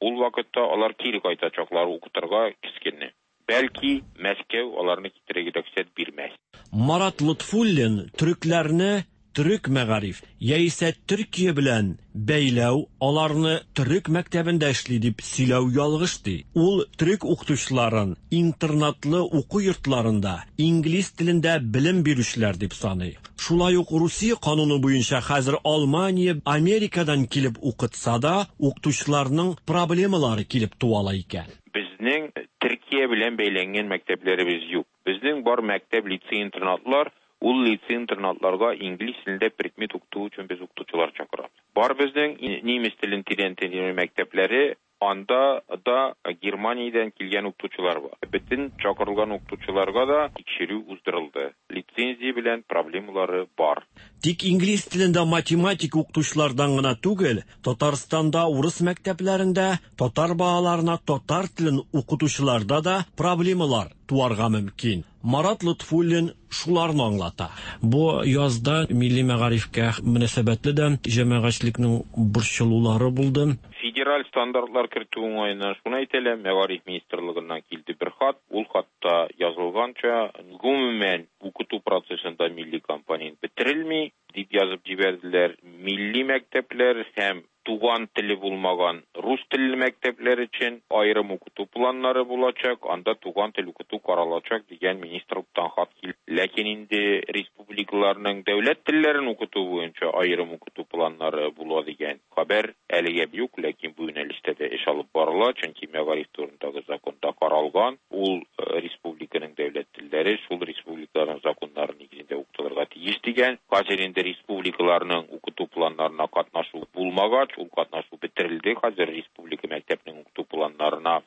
Speaker 20: ул вакытта алар кире кайтачаклар укытырга кечкенә. Бәлки, Мәскәү аларны китерергә рөхсәт бирмәс.
Speaker 17: Марат Лотфуллин төрекләрне төрек мәгариф яисә Төркия белән бәйләү, аларны төрек мәктәбендә эшли дип сөйләү ялгыш ди. Ул төрек укытучыларын интернатлы уку йортларында инглиз телендә белем бирүчеләр дип саный. Шулай ук Русия кануны буенча хәзер Алмания, Америкадан килеп укытса да, укытучыларның проблемалары килеп туа ала икән.
Speaker 20: Безнең Төркия белән бәйләнгән мәктәпләребез юк. Безнең бар мәктәп, лицей-интернатлар, ул лицей-интернатларга инглиз телендә предмет укыту өчен без укытучылар чакырабыз. Бар безнең немец телен тирәнтен өйрәнү мәктәпләре, анда да Германиядән килгән укытучылар бар. Бөтен чакырылган укытучыларга да тикшерү уздырылды. Лицензия белән проблемалары бар.
Speaker 17: Тик инглиз телендә математика укытучылардан гына түгел, Татарстанда урыс мәктәпләрендә татар балаларына татар телен укытучыларда да проблемалар туарга мөмкин. Марат Лотфуллин шуларны аңлата.
Speaker 21: Бу язда милли мәгарифкә мөнәсәбәтле дә җәмәгатьчелекнең борчылулары булды.
Speaker 20: Федераль стандартлар кертү уңаеннан шуны әйтәләм, Мәгариф министрлыгыннан килде бер хат. Ул хатта язылганча, гомумән, укыту процессында милли компонент бетерелми, дип язып җибәрделәр. Милли мәктәпләр һәм туган теле булмаган рус телле мәктәпләр өчен аерым укыту планнары булачак, анда туган тел укыту каралачак дигән министрлыктан хат килде. Ләкин инде республикаларның дәүләт телләрен укыту буенча аерым укыту планнары була дигән хәбәр әлегә юк, ләкин бу юнәлештә дә эш алып барыла, чөнки мәгариф турындагы законда каралган, ул республиканың дәүләт телләре шул республикаларның законнары нигезендә укытылырга тиеш дигән. Хәзер инде республикаларның укыту планнарына катнашу булмагач, ул катнашу бетерелде. Хәзер республика мәктәпнең укыту планнарына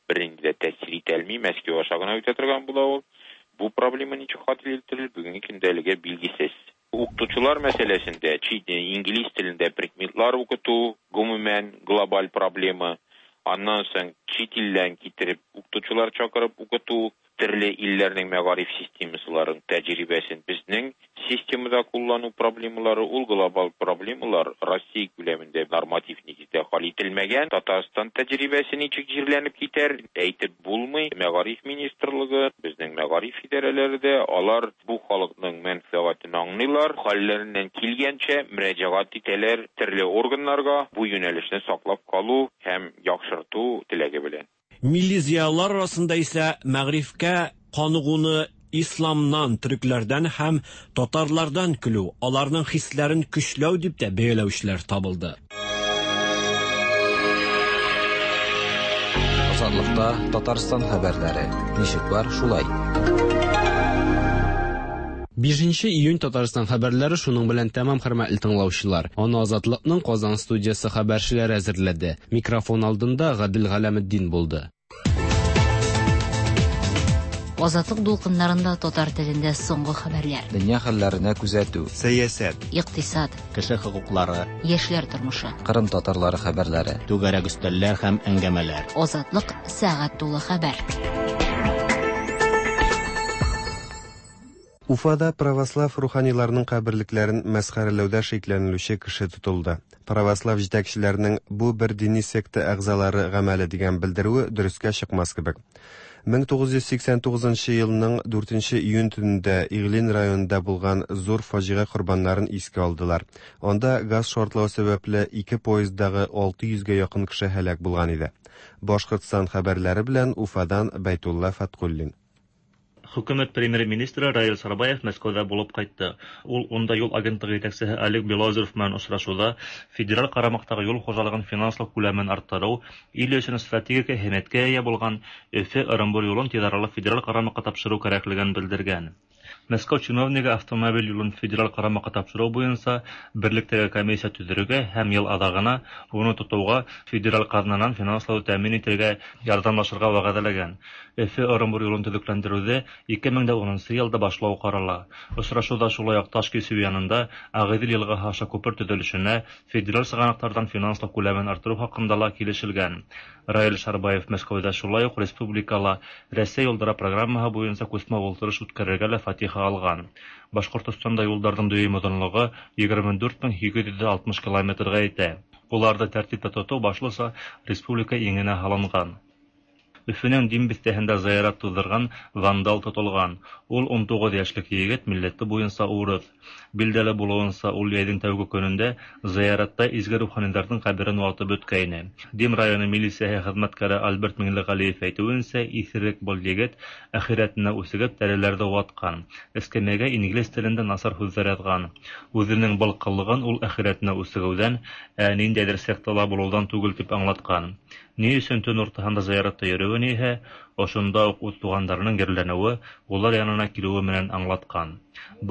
Speaker 20: бернинди дә тәэсир итә алмый, Мәскәү аша гына үтә торган була ул. Бу проблема ничек хәл ителер, бүгенге көндә әлегә билгесез. Укытучылар мәсьәләсендә чит инглиз телендә предметлар укыту, гомумән, глобаль проблема. Аннан соң чит илдән китереп укытучылар чакырып укыту, төрле илләрнең мәгариф системасыларын тәҗрибәсен безнең системада куллану проблемалары, ул глобаль проблемалар Россия күләмендә норматив нигездә хәл ителмәгән. Татарстан тәҗрибәсе ничек җирләнеп китәр, әйтеп булмый. Мәгариф министрлыгы, безнең мәгариф идарәләре дә, алар бу халыкның мәнфәгатен аңлыйлар, хәлләреннән килгәнчә мөрәҗәгать итәләр төрле органнарга бу юнәлешне саклап калу һәм яхшырту теләге белән.
Speaker 17: Милли зыялылар арасында исә мәгарифкә каныгуны исламнан, төрекләрдән һәм татарлардан көлү, аларның хисләрен көчләү дип тә бәяләүчеләр табылды.
Speaker 9: Азатлыкта Татарстан хәбәрләре. Ничек бар, шулай.
Speaker 10: 5 июнь Татарстан хәбәрләре шуның белән тәмам, хөрмәтле тыңлаучылар. Аны Азатлыкның Казан студиясе хәбәрчеләре әзерләде. Микрофон алдында Гадел Галәметдин булды.
Speaker 8: Азатлык дулкыннарында татар телендә соңгы хәбәрләр.
Speaker 9: Дөнья хәлләренә күзәтү.
Speaker 2: Сәясәт.
Speaker 8: Икътисад.
Speaker 1: Кеше хокуклары.
Speaker 8: Яшьләр тормышы.
Speaker 9: Кырым татарлары хәбәрләре.
Speaker 1: Түгәрәк өстәлләр һәм әңгәмәләр.
Speaker 8: Азатлык сәгать тулы хәбәр.
Speaker 2: Уфада православ руханиларның каберлекләрен мәсхәрәләүдә шикләнелүче кеше тотылды. Православ җитәкчеләренең бу бер дини секта әгъзалары гамәле дигән белдерүе дөрескә чыкмас кебек. 1989 елның 4 июнь төнендә Иглин районында булган зур фаҗига корбаннарын искә алдылар. Анда газ шартлау сәбәпле ике поезддагы 600 гә якын кеше һәлак булган иде. Башкортстан хәбәрләре белән Уфадан Бәйтулла Фаткуллин.
Speaker 22: Хөкүмәт премьер-министры Раил Сарбаев Мәскәүдә булып кайтты. Ул унда юл агентлыгы җитәкчесе Олег Белозеров белән очрашуда федераль карамактагы юл хуҗалыгын финанслау күләмен арттыру, ил өчен стратегик әһәмияткә ия булган Өфе-Ырымбур юлын тиз аралы федераль карамакка тапшыру кирәклеген белдергән. Мәскәү чиновнигы автомобиль юлын федераль карамакка тапшыру буенча берлектәге комиссия төзергә һәм ел азагына уны тотуга федераль казнадан финанслау тәэмин итәргә ярдәмләшергә вәгъдәләгән. Өфе-Ырымбур юлын төзекләндерүне 2010 елда башлау карала. Очрашуда шулай ук Ташкисү янында Агыйдел елгасы аша күпер төзелешенә федераль чыганаклардан финанслау күләмен арттыру хакында ла килешелгән. Раил Шарбаев Мәскәүдә шулай ук республикала Рәсәй юлдары программаһы буенча күчмә ултырыш үткәрергә лә фатиха вазифасы алган. Башкортостанда юлларның дөйем озынлыгы 24860 километрга җитә. Уларны тәртиптә тоту башлыча республика иңенә һалынган. Өфөнең Дим бистәһендә зыярат туздырган вандал тотылган. Ул 19 яшьлек егет, милләте буенча урыс. Билгеле булуынча, ул җәйнең тәүге көнендә зыяратта изге руханиларның каберен ватып үткәйне. Дим районы милицияһе хезмәткәре Альберт Миңлегалиев әйтүенчә, исерек был егет әхирәтенә үсегеп тәреләрҙе ваткан. Эскәмиягә инглиз телендә насар һүҙҙәр яҙған. Үҙенең был ҡылығын ул әхирәтенә үсегеүҙән, ә ниндәйҙер сектала булыуҙан түгел тип аңлатҡан. Ни өсөн төн уртаһында зыяратта йөрөүен иһә, ошонда уҡ үҙ туғандарының ерләнеүе, улар янына килеүе менән аңлатҡан.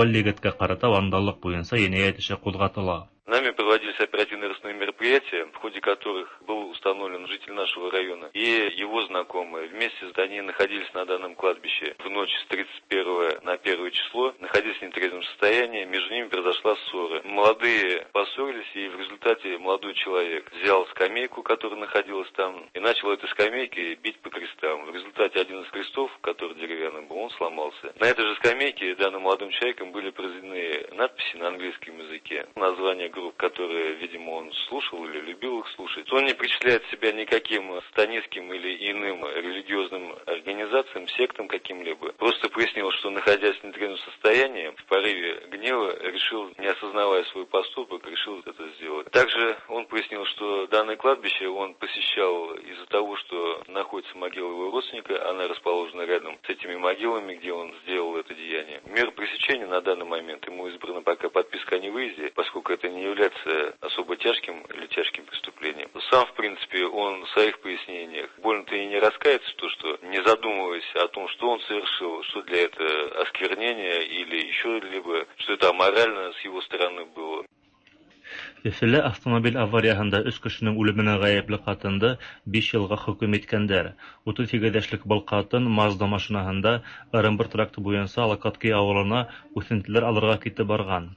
Speaker 22: Был егеткә ҡарата вандаллыҡ буйынса енәйәт эше ҡуҙғатыла.
Speaker 3: Нами проводились оперативно-розыскные мероприятия, в ходе которых был установлен житель нашего района и его знакомые. Вместе они находились на данном кладбище в ночь с 31 на 1 число, находились в нетрезвом состоянии, между ними произошла ссора. Молодые поссорились, и в результате молодой человек взял скамейку, которая находилась там, и начал этой скамейкой бить по крестам. В результате один из крестов, который деревянный был, он сломался. На этой же скамейке данным молодым человеком были произведены надписи на английском языке, название групп, которые, видимо, он слушал или любил их слушать. Он не причисляет себя никаким сатанистским или иным религиозным организациям, сектам каким-либо. Просто пояснил, что, находясь в нетрезвом состоянии, в порыве гнева решил, не осознавая свой поступок, решил это сделать. Также он пояснил, что данное кладбище он посещал из-за того, что находится могила его родственника, она расположена рядом с этими могилами, где он сделал это деяние. Мера пресечения на данный момент ему избрана пока подписка о невыезде, поскольку это не является особо тяжким или тяжким преступлением. Сам, в принципе, он в своих пояснениях больно-то и не раскается, то, что не задумываясь о том, что он совершил, что для этого осквернение или еще либо, что это аморально с его стороны было.
Speaker 22: Өфөлә автомобиль аварияһында өс кешенең үлеменә ғәйепле ҡатынды 5 йылға хөкөм иткәндәр. 38 йәшлек был ҡатын Мазда машинаһында Ырымбур тракты буйынса Локотки ауылына үҫентеләр алырға китеп барған.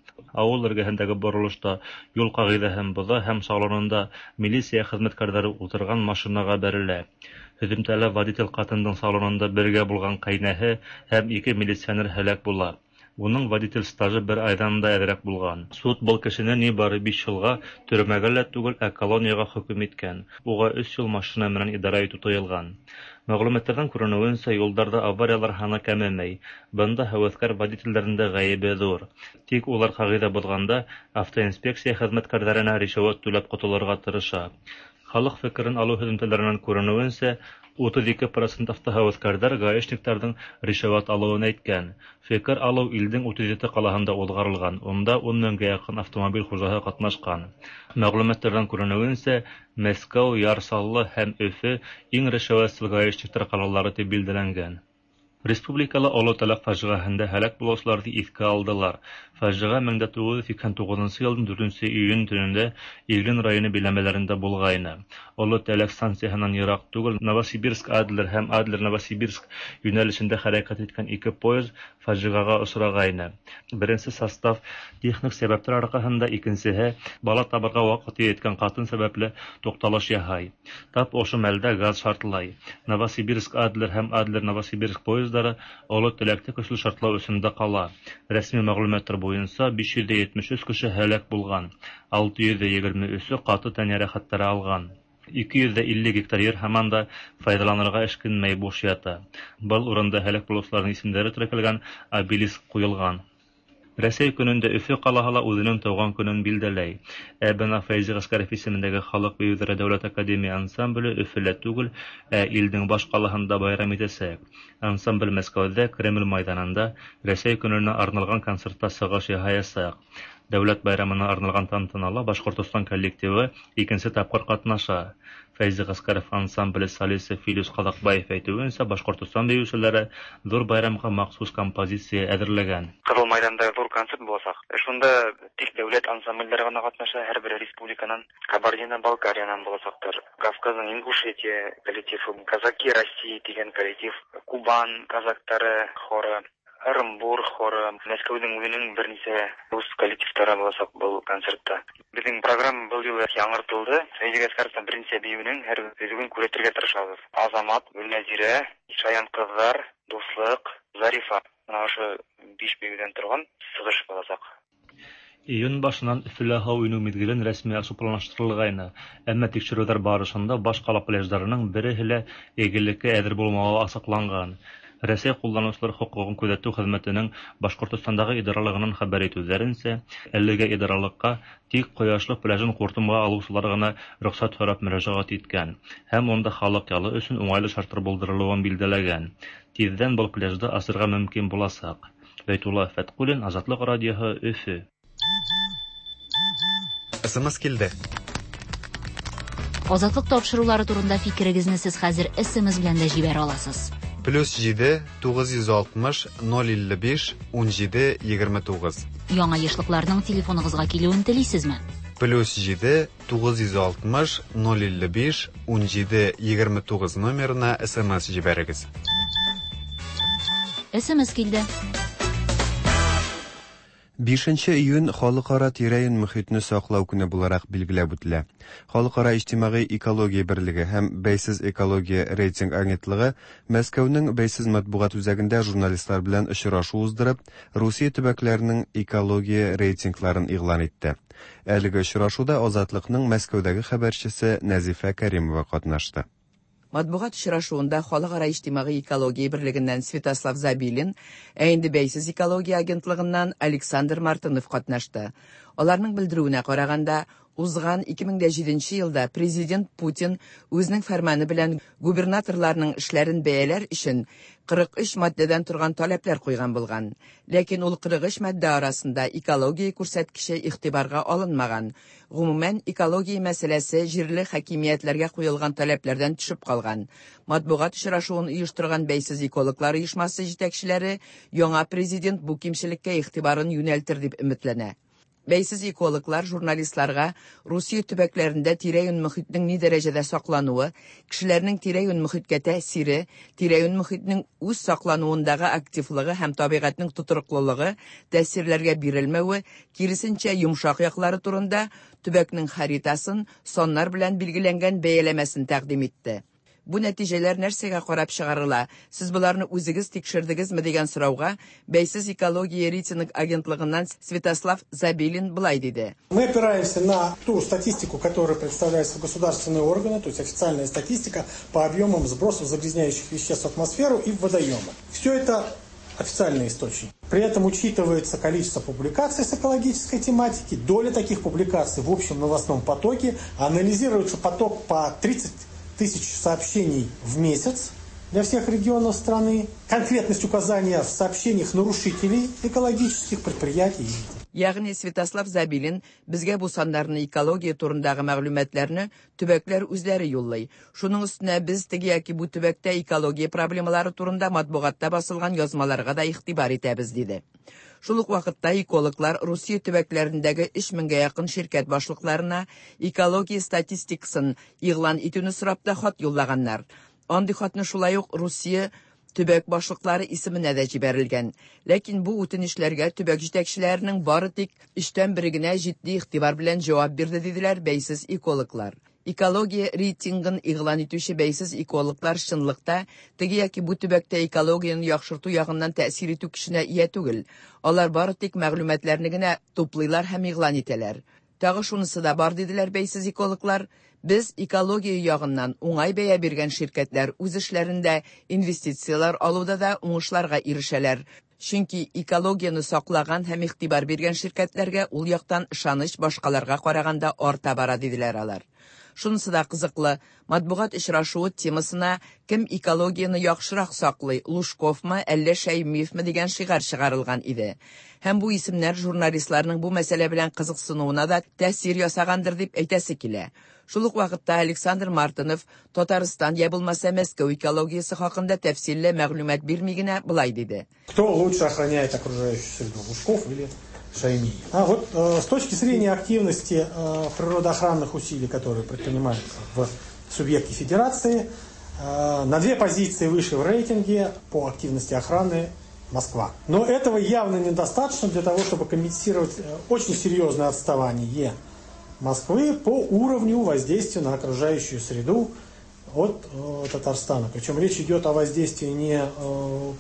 Speaker 22: Ауыл эргәһендәге боролошта юл ҡағиҙәһен боҙа һәм салонында милиция хеҙмәткәрҙәре ултырған машинаға бәрелә. Һөҙөмтәлә водитель ҡатындың салонында бергә булған ҡәйнәһе һәм 2 милиционер һәләк була. Уның водитель стажы бер айҙан да әҙерәк булған. Суд был кешене ни бары 5 йылға төрмәгә лә түгел, ә колонияға хөкөм иткән. Уға 3 йыл машина менән идара итеү тыйылған. Мәғлүмәттәрҙән күренеүенсә, юлдарҙа авариялар һаны кәмемәй. Бында һәүәҫкәр водителдәрҙең дә ғәйебе ҙур. Тик улар ҡағиҙә боҙғанда автоинспекция хеҙмәткәрҙәренә ришүәт түләп ҡотолорға тырыша. Халыҡ фекерен алыу һөҙөмтәләренән күренеүенсә, 32% автоһәүәҫкәрҙәр гаишниктарҙың ришүәт алыуын әйткән. Фекер алыу илдең 37 ҡалаһында уҙғарылған, унда 10 меңгә яҡын автомобиль хужаһы ҡатнашҡан. Мәғлүмәттәрҙән күренеүенсә, Мәскәү, Яр Саллы һәм Өфө иң ришүәтсел гаишниктар ҡалалары тип билдәләнгән. Республикала Оло Тәләк фажиғәһендә һәләк булыусыларҙы иҫкә алдылар. Фажиғә 1989 йылдың 4 июнь төнөндә Иглин районы биләмәләрендә булғайны. Оло Тәләк станцияһынан йыраҡ түгел Новосибирск Адлер һәм Адлер Новосибирск йүнәлешендә хәрәкәт иткән ике поезд фажиғәгә осрағайны. Беренсе состав техник сәбәптәр арҡаһында, икенсеһе бала табырға ваҡыты еткән ҡатын сәбәпле туҡталыш яһай. Тап ошо мәлдә газ шартлай. Новосибирск Адлер һәм Адлер Новосибирск поездары Оло Тәләктә көслө шартлау эсендә ҡала. Рәсми мәғлүмәттәр буйынса 573 кеше һәләк булған, 623-ө ҡаты тән йәрәхәттәре алған. 250 гектар ер һаман да файҙаланырға эшкинмәй буш ята. Был урында һәләк булыусыларҙың исемдәре теркәлгән обелиск ҡуйылған. Рәсәй көнөндә Өфө ҡалаһы ла үҙенең тыуған көнөн билдәләй. Ә бына Фәйзи Ғәскәров исемендәге Халыҡ бейеүҙәре дәүләт академия ансамбле Өфөлә түгел, ә илдең баш ҡалаһында байрам итәсәк. Ансамбль Мәскәүҙә Кремль майҙанында Рәсәй көнөнә арналған концертта сығыш яһаясаҡ. Дәүләт байрамына арналған тантанала Башҡортостан коллективы икенсе тапҡыр ҡатнаша. Фәйзи Ғәскәров ансамбле солисы Филүс Ҡаҙаҡбаев әйтеүенсә, Башҡортостан бейеүселәре ҙур байрамға махсус композиция әҙерләгән.
Speaker 4: Ҡыҙыл майҙанда ҙур концерт буласаҡ. Шунда тик дәүләт ансамблдәре ғына ҡатнаша, һәр бер республиканан, Кабардино-Балкариянан буласаҡтар. Кавказның Ингушетия коллективы, Казаки России тигән коллектив, Кубан казактары хоры, Ырымбур хоры, Мәскәүҙең үҙенең бер нисә рус коллективтары буласаҡ был концертта. Беҙҙең программа был юлы яңыртылды. Фәйзи Ғәскәровтың бер нисә бейеүенең һәр өзеген күрһәтергә тырышабыҙ. Азамат, Гөлнәзирә, Шаян ҡыҙҙар, Дуҫлыҡ, Зарифа. Менә ошо биш биюдән торган чыгыш булачак.
Speaker 22: Июнь башыннан Өфөлә һау инү миҙгелен рәсми асыу планлаштырылғайны, әммә тикшереүҙәр барышында баш ҡала пляждарының береһе лә эйгелеккә әҙер булмауы асыҡланған. Рәсәй ҡулланыусылар хоҡуғын күҙәтеү хеҙмәтенең Башҡортостандағы идаралығынан хәбәр итеүҙәренсә, әлеге идаралыҡҡа тик Ҡояшлы пляжын ҡуртымға алыусылар ғына рөхсәт һорап мөрәжәғәт иткән һәм унда халыҡ ялы өсөн уңайлы шарттар булдырылыуын билдәләгән. Тиҙҙән был пляжды асырға мөмкин буласаҡ. Бәйтулла Фәтҡуллин, Азатлыҡ радиоһы, Өфө.
Speaker 2: СМС килде.
Speaker 8: Азатлык тапшырулары турында фикерегезне сез хәзер СМС белән дә җибәрә аласыз.
Speaker 2: +7 960 055 17 29.
Speaker 8: Яңа ешлыкларның телефоныгызга килүен телисезме?
Speaker 2: +7 960 055 17 29 номерына СМС җибәрегез.
Speaker 8: СМС килде.
Speaker 2: 5 июнь Халыкара тирә-юнь мөхитне саклау көне буларак билгеләп үтелә. Халыкара иҗтимагый экология берлеге һәм Бәйсез экология рейтинг агентлыгы Мәскәүнең Бәйсез матбугат үзәгендә журналистлар белән очрашу уздырып, Русия төбәкләренең экология рейтингларын игълан итте. Әлеге очрашуда Азатлыкның Мәскәүдәге хәбәрчесе Нәзифә Кәримова катнашты.
Speaker 5: Матбугат очрашуында Халыкара иҗтимагый экология берлегеннән Святослав Забилин, ә инде Бәйсез экология агентлыгыннан Александр Мартынов катнашты. Аларның белдерүенә караганда, узган 2007 елда президент Путин үзенең фәрманы белән губернаторларның эшләрен бәяләр өчен 43 маддәдән торган таләпләр куйган булган. Ләкин ул 43 маддә арасында экология күрсәткече игътибарга алынмаган. Гомумән, экология мәсьәләсе җирле хакимиятләргә куелган таләпләрдән төшеп калган. Матбугат очрашуын оештырган Бәйсез экологлар оешмасы җитәкчеләре яңа президент бу кимчелеккә игътибарын юнәлтер дип өметләнә. Бәйсез экологлар журналистларга Русия төбәкләрендә тирә-юнь мөхитнең ни дәрәҗәдә саклануы, кешеләрнең тирә-юнь мөхиткә тәэсире, тирә-юнь мөхитнең үз саклануындагы активлыгы һәм табигатьнең тотрыклылыгы, тәэсирләргә бирелмәве, киресенчә йомшак яклары турында төбәкнең харитасын саннар белән билгеләнгән бәяләмәсен тәкъдим итте. Бу нәтиҗәләр нәрсәгә карап чыгарыла? Сез боларны үзегез тикшердегезме дигән сорауга Бәйсез экология рейтинг агентлыгыннан Святослав Забилин былай диде.
Speaker 6: Мы опираемся на ту статистику, которая представляется в государственные органы, то есть официальная статистика по объемам сбросов загрязняющих веществ в атмосферу и в водоемы. Все это официальный источник. При этом учитывается количество публикаций с экологической тематики, доля таких публикаций в общем новостном потоке, анализируется поток по 30 тысяч сообщений в месяц для всех регионов страны, конкретность указания в сообщениях нарушителей экологических предприятий.
Speaker 5: Ягъни Святослав Забилин безгә бу саннарны, экология турындагы мәгълүматларны төбәкләр үзләре юллый. Шуның өстенә без теге яки бу төбәктә экология проблемалары турында матбугатта басылган язмаларга да игътибар итәбез, диде. Шул ук вакытта экологлар Русия төбәкләрендәге 3000гә якын ширкәт башлыкларына экология статистикасын игълан итүне сорап та хат юллаганнар. Андый хатны шулай ук Русия төбәк башлыклары исеменә дә җибәрелгән. Ләкин бу үтенечләргә төбәк җитәкчеләренең бары тик 1/3 генә җитди игътибар белән җавап бирде, диделәр бәйсез экологлар. Экология рейтингын игълан итүче бәйсез экологлар чынлыкта теге яки бу төбәктә экологияне яхшырту ягыннан тәэсир итү көченә ия түгел. Алар бары тик мәгълүматларны генә туплыйлар һәм игълан итәләр. Тагы шунысы да бар, диделәр бәйсез экологлар. Без экология ягыннан уңай бәя биргән ширкәтләр үз эшләрендә инвестицияләр алуда да уңышларга ирешәләр. Чөнки экологияне саклаган һәм игътибар биргән ширкәтләргә ул яктан ышаныч башкаларга караганда арта бара, диделәр алар. Шунысы да кызыклы, матбугат очрашуы темасына кем экологияне яхшырак саклый, Лужковмы, әллә Шәймиевме дигән шигарь чыгарылган иде. Һәм бу исемнәр журналистларның бу мәсьәлә белән кызыксынуына да тәэсир ясагандыр дип әйтәсе килә. Шул ук вакытта Александр Мартынов Татарстан я булмаса Мәскәү экологиясе хакында тәфсилле мәгълүмат бирми генә былай диде.
Speaker 6: Кто лучше охраняет окружающую среду, Лужков или Шаймиев? А вот с точки зрения активности природоохранных усилий, которые предпринимаются в субъекте федерации, на 2 позиции выше в рейтинге по активности охраны Москва. Но этого явно недостаточно для того, чтобы компенсировать очень серьезное отставание Москвы по уровню воздействия на окружающую среду от Татарстана. Причем речь идет о воздействии не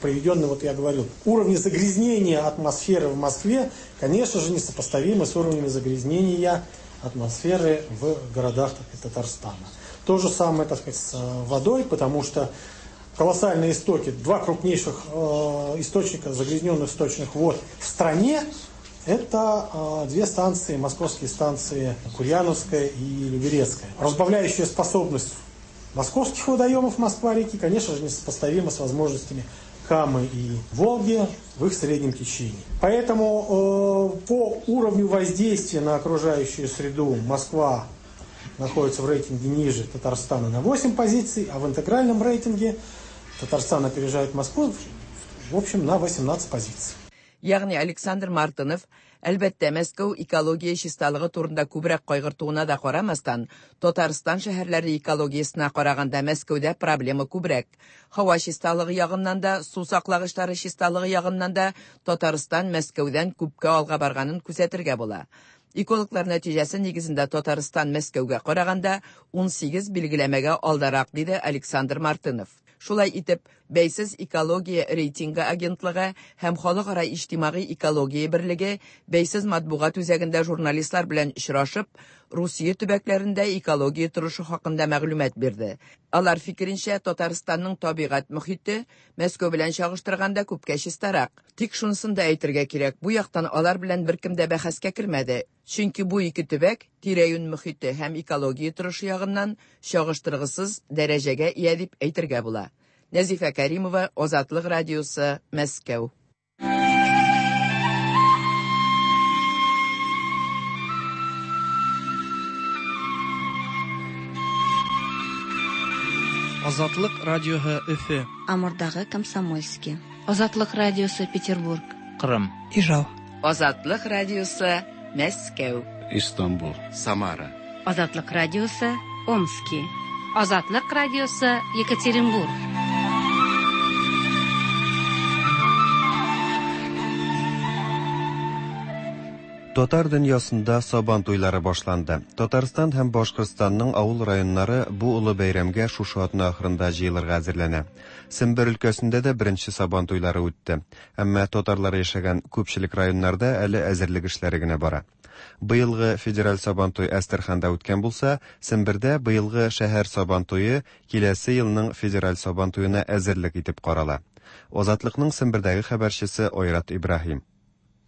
Speaker 6: проведенном, вот я говорил, уровни загрязнения атмосферы в Москве, конечно же, несопоставимы с уровнями загрязнения атмосферы в городах, так сказать, Татарстана. То же самое, так сказать, с водой, потому что колоссальные истоки, два крупнейших источника загрязненных сточных вод в стране, это две станции, московские станции Курьяновская и Люберецкая. Разбавляющая способность московских водоемов Москва-реки, конечно же, несопоставима с возможностями Камы и Волги в их среднем течении. Поэтому по уровню воздействия на окружающую среду Москва находится в рейтинге ниже Татарстана на 8 позиций, а в интегральном рейтинге Татарстан опережает Москву, в общем, на 18 позиций.
Speaker 5: Ягъни Александр Мартынов, әлбәттә, Мәскәү экология чисталыгы турында күбрәк кайгыртуына да карамастан, Татарстан шәһәрләре экологиясенә караганда Мәскәүдә проблема күбрәк. Һава чисталыгы ягыннан да, су саклагычлары чисталыгы ягыннан да Татарстан Мәскәүдән күпкә алга барганын күзәтергә була. Экологлар нәтиҗәсе нигезендә Татарстан Мәскәүгә караганда 18 билгеләмәгә алдарак, диде Александр Мартынов. Шулай итеп, бәйсез экология рейтингы агентлыгы һәм Халыкара иҗтимагый экология берлеге бәйсез матбугат үзәгендә журналистлар белән очрашып, Русия төбәкләрендә экология торышы хакында мәгълүмат бирде. Алар фикеренчә, Татарстанның табигать мохите Мәскәү белән чагыштырганда күпкә чистарак. Тик шунысын да әйтергә кирәк, бу яктан алар белән беркем дә бәхәскә кермәде. Чөнки бу ике төбәк тирә-юнь мохите һәм экология торышы ягыннан чагыштыргысыз дәрәҗәгә ия дип әйтергә була. Нәзифә Кәримова, Азатлык радиосы, Мәскәү.
Speaker 7: Азатлык радиоһы Өфе.
Speaker 11: Амурдагы Комсомольский. Азатлык радиосы Петербург.
Speaker 1: Кырым.
Speaker 7: Ижау.
Speaker 5: Азатлык радиосы Мәскәү.
Speaker 23: Истанбул. Самара.
Speaker 11: Азатлык радиосы Омски. Азатлык радиосы Екатеринбург.
Speaker 2: Татар дөньясында Сабан туйлары башланды. Татарстан һәм Башкортстанның авыл районнары бу олы бәйрәмгә шушы атна ахырында җыелырга әзерләнә. Сембер өлкәсендә дә беренче Сабан туйлары үтте. Әмма татарлар яшәгән күпчелек районнарда әле әзерлек эшләре генә бара. Быелгы федераль Сабантуй Әстерханда үткән булса, Сембердә быелгы шәһәр Сабантуе киләсе елның федераль Сабантуена әзерлек итеп карала. Азатлыкның Сембердәге хәбәрчесе Айрат Ибраһим.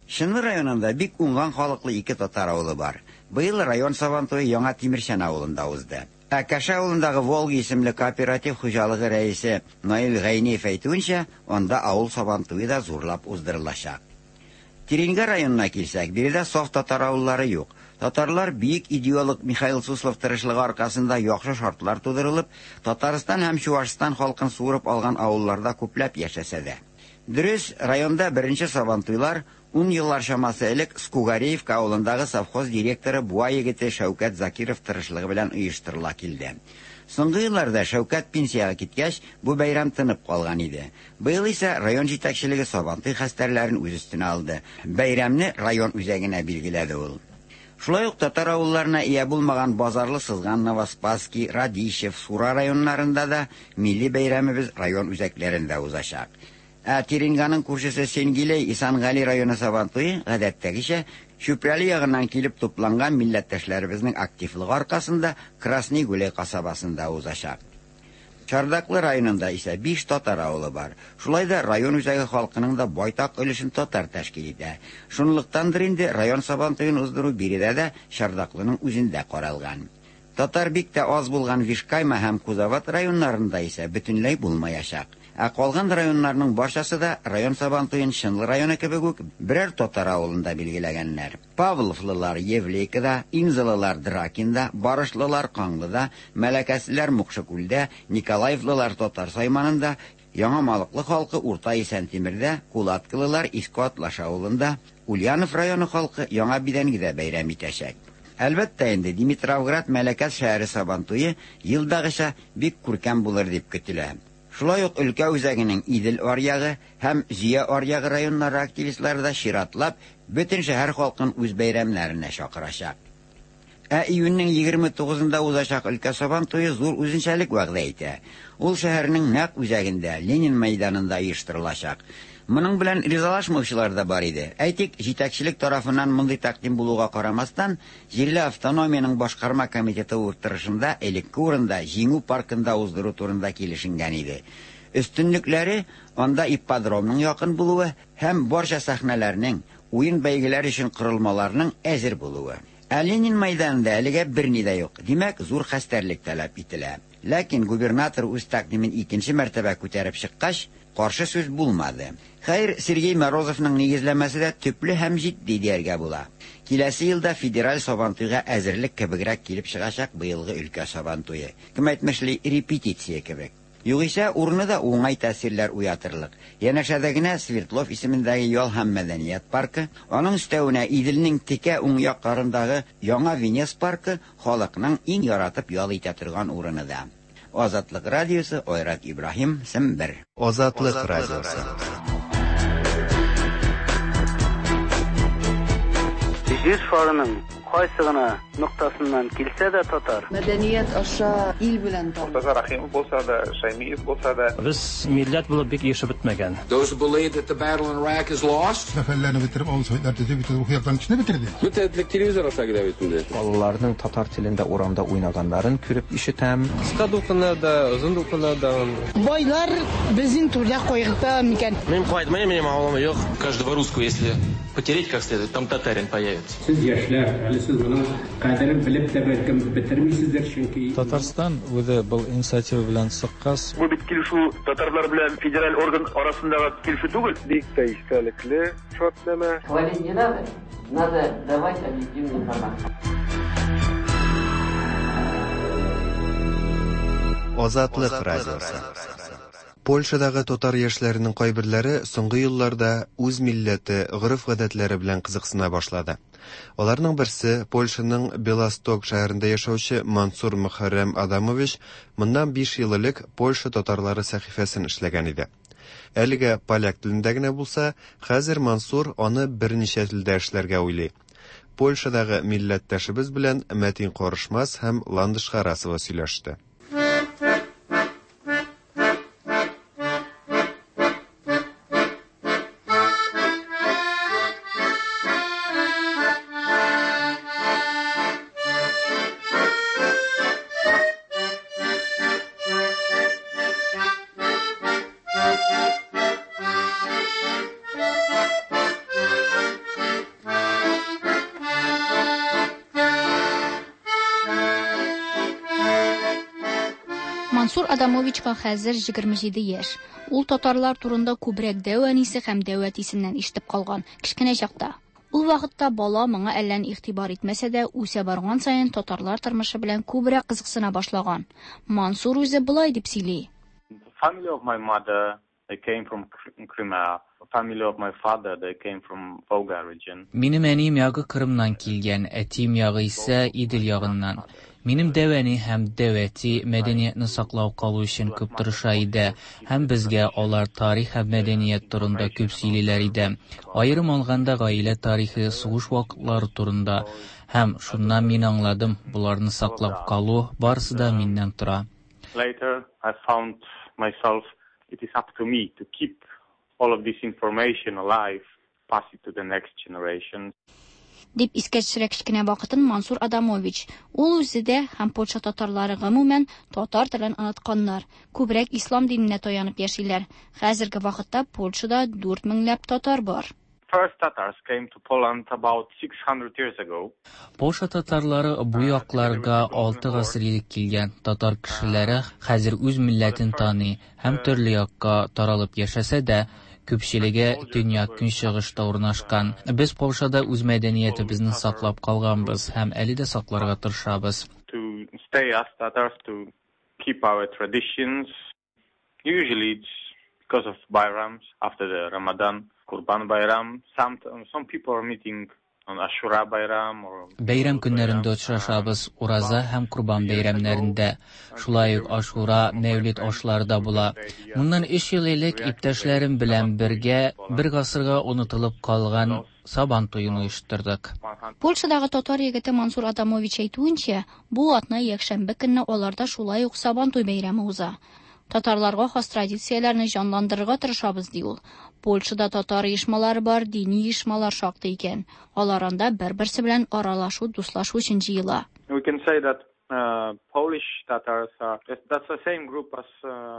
Speaker 24: Чынлы районында бик уңган халыклы ике татар авылы бар. Быел район Сабантуе Яңа Тимерчән авылында узды. Ә Кәшә авылындагы Волга исемле кооператив хуҗалыгы рәисе Наил Гайниев әйтүенчә, анда авыл Сабантуе да зурлап уздырылачак. Тереньга районына килсәк, биредә саф татар авыллары юк. Татарлар бөек идеолог Михаил Суслов тырышлыгы аркасында яхшы шартлар тудырылып, Татарстан һәм Чуашстан халкын суырып алган авылларда күпләп яшәсә дә. Дөрес, районда беренче Сабантуйлар ун еллар чамасы элек Скугареевка авылындагы совхоз директоры Буа егете Шәүкәт Закиров тырышлыгы белән оештырыла килде. Соңгы елларда Шәүкәт пенсиягә киткәч, бу бәйрәм тынып калган иде. Быел исә район җитәкчелеге Сабантуй хәстәрләрен үз өстенә алды. Бәйрәмне район үзәгенә билгеләде ул. Шулай ук татар авылларына ия булмаган Базарлы Сызган, Новоспасский, Радищев, Сура районнарында да милли бәйрәмебез район үзәкләрендә узачак. Ә Тереньганың күршесе Сенгилей Исангали районы Сабантуе, гадәттәгечә, Чүпрәле ягыннан килеп тупланган милләттәшләребезнең активлыгы аркасында Красный Гуляй касабасында узачак. Чардаклы районында исә 5 татар авылы бар. Шулай да район үзәге халкының да байтак өлешен татар тәшкил итә. Шунлыктандыр инде район Сабантуен уздыру биредә дә Чардаклының үзендә каралган. Татар бик тә аз булган Вишкайма һәм Кузоват районнарында исә бөтенләй булмаячак. Ә калган районнарның барчасы да район Сабантуен Чынлы районы кебек үк берәр татар авылында билгеләгәннәр. Павловлылар Евлейкада, Инзалылар Дракинда, Барышлылар Каңлыда, Мәләкәслеләр Мукшыкүлдә, Николаевлылар Татар Сайманында, Яңа Малыклы халкы Урта Исәнтимердә, Кулаткылылар Иске Атлаш авылында, Ульянов районы халкы Яңа Бидәнгедә бәйрәм итәчәк. Әлбәттә инде, Димитровград Мәләкәс шәһәре Сабантуе елдагыча бик күркәм булыр дип көтелә. Шулай ук өлкә үзәгенең Идел аръягы һәм Зөя аръягы районнары активистлары да чиратлап бөтен шәһәр халкын үз бәйрәмнәренә чакырачак. Ә июньнең 29-ында узачак өлкә Сабан туе зур үзенчәлек вәгъдә итә. Ул шәһәрнең нәкъ үзәгендә, Ленин мәйданында оештырылачак. Моның белән ризалашмаучылар да бар иде. Әйтик, җитәкчелек тарафыннан мондый тәкъдим булуга карамастан, җирле автономиянең башкарма комитеты утырышында элекке урында, Җиңү паркында уздыру турында килешенгән иде. Өстенлекләре, анда ипподромның якын булуы һәм барча сәхнәләрнең, уен-бәйгеләр өчен корылмаларның әзер булуы. Ә Ленин мәйданында әлегә берни дә юк, димәк, зур хәстәрлек таләп ителә. Ләкин губернатор үз тәкъдимен икенче мәртәбә күтәреп чыккач, каршы сүз булмады. Хәер, Сергей Морозовның нигезләмәсе дә төпле һәм җитди дияргә була. Киләсе елда федераль Сабантуйга әзерлек кебегрәк килеп чыгачак быелгы өлкә Сабантуе. Кем әйтмешли, репетиция кебек. Югыйсә, урыны да уңай тәэсирләр уятырлык. Янәшәдә генә Свердлов исемендәге ял һәм мәдәният паркы, аның өстәвенә Иделнең текә уң як ярындагы Яңа Венес паркы халыкның иң яратып ял итә торган урыны да. Азатлык радиосы, Айрат Ибраһим, Сембер.
Speaker 2: Азатлык радиосы.
Speaker 12: Җир шарының кайсы гына ноктасыннан килсә дә татар.
Speaker 13: Мәдәният аша ил белән таныш.
Speaker 14: Мортаза Рәхимов булса да, Шәймиев булса да.
Speaker 16: Без милләт булып бик ирешеп бетмәгән.
Speaker 25: Those who believe that the battle in Iraq is lost.
Speaker 26: Сәфәрләрне бетереп, авыл советлар төзеп, бөтен рухи яктан кешене бетерде.
Speaker 27: Бөтен элек телевизор аша килә бит инде.
Speaker 9: Балаларның татар телендә урамда уйнаганнарын күреп ишетәм.
Speaker 27: Кыска дулкыннар да, озын дулкыннар да.
Speaker 28: Байлар безнең түрдә кайгырта микән?
Speaker 29: Мин кайтмыйм, минем авылым юк. Каждого русского, если потереть как следует, там татарин появится.
Speaker 30: Сез яшьләр, әле сез моның кадерен белеп тә бәлкем бетермисездер, чөнки.
Speaker 31: Татарстан үзе был инициатива белән чыккач.
Speaker 32: Бу бит килешү татарлар белән федераль орган арасындагы килешү түгел.
Speaker 33: Бик тә истәлекле шартнамә.
Speaker 34: Хвалить не надо, надо давать объективную информацию.
Speaker 2: Азатлык радиосы. Польшадагы татар яшьләренең кайберләре соңгы елларда үз милләте, гореф-гадәтләре белән кызыксына башлады. Аларның берсе, Польшаның Белосток шәһәрендә яшәүче Мансур Мөхәррәм Адамович моннан 5 ел элек Польша татарлары сәхифәсен эшләгән иде. Әлегә поляк телендә генә булса, хәзер Мансур аны берничә телдә эшләргә уйлый. Польшадагы милләттәшебез белән Мәтин Карышмас һәм Ландыш Харасова сөйләште.
Speaker 11: Мансур Адамовичка хәзер 27 яшь. Ул татарлар турында күбрәк дәү әнисе һәм дәү әтисеннән ишетеп калган, кечкенә чакта. Ул вакытта бала моңа әллә ни игътибар итмәсә дә, үсә барган саен татарлар тормышы белән күбрәк кызыксына башлаган. Мансур үзе болай дип сөйли.
Speaker 35: The family of my mother, they came from Crimea. Family of my father, they came from Volga region.
Speaker 36: Минем әнием ягы Кырымнан килгән, әтием ягы исә Идел ягыннан. Минем дәү әни һәм дәү әти мәдәниятне саклау калу өчен күп тырыша иде һәм безгә алар тарих һәм мәдәният турында күп сөйлиләр иде. Аерым алганда, гаилә тарихы, сугыш вакытлары турында. Һәм шуннан мин аңладым, боларны саклап калу барысы да миннән тора.
Speaker 35: Later, I found myself, it is up to me to keep all of this information alive, pass it to the next generation.
Speaker 11: Дип искә төшерә кечкенә вакытын Мансур Адамович. Ул үзе дә һәм Польша татарлары гомумән татар телен онытканнар, күбрәк ислам диненә таянып яшиләр. Хәзерге вакытта Польшада дүрт меңләп татар бар.
Speaker 35: First Tatars came to Poland about 600 years ago.
Speaker 36: Польша татарлары бу якларга алты гасыр элек килгән. Татар кешеләре хәзер үз милләтен таный һәм төрле якка таралып яшәсә дә, күпчелеге төньяк-көнчыгышта урнашкан. Без Польшада үз мәдәниятебезне саклап калганбыз һәм әле дә сакларга тырышабыз.
Speaker 35: To stay as Tatars, to keep our traditions. Usually it's because of Bayrams, after the Ramadan, Kurban Bayram. Some, some people are meeting on Ashura Bayram or
Speaker 36: Бәйрәм көннәрендә очрашабыз, Ураза һәм Корбан бәйрәмнәрендә. Шулай ук Ашура, Мәүлид ашлары да була. Моннан өч ел элек иптәшләрем белән бергә бер гасырга онытылып калган Сабан туен оештырдык.
Speaker 11: Польшадагы татар егете Мансур Адамович әйтүенчә, бу атна якшәмбе көнне аларда шулай ук Сабантуй бәйрәме уза. Татарларга хас традицияләрне җанландырырга тырышабыз, ди ул. Польшада татар оешмалары бар, дини оешмалар шактый икән. Алар анда бер-берсе белән аралашу, дуслашу өчен җыела.
Speaker 35: We can say that Polish Tatars are that's the same group as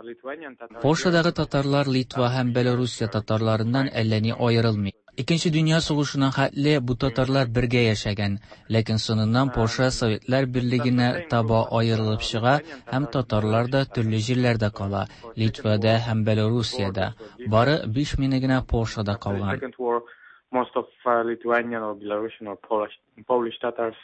Speaker 35: Lithuanian Tatars.
Speaker 36: Польшадагы татарлар Литва һәм Белоруссия татарларыннан әллә ни аерылмый. Икенче дөнья сугышына хәтле бу татарлар бергә яшәгән, ләкин соңыннан Польша Советлар Берлегенә таба аерылып чыга һәм татарлар да төрле җирләрдә кала, Литвада һәм Белоруссиядә. Бары 5000 генә Польшада калган.
Speaker 35: Most of Lithuanian or Belarusian or Polish, Polish Tatars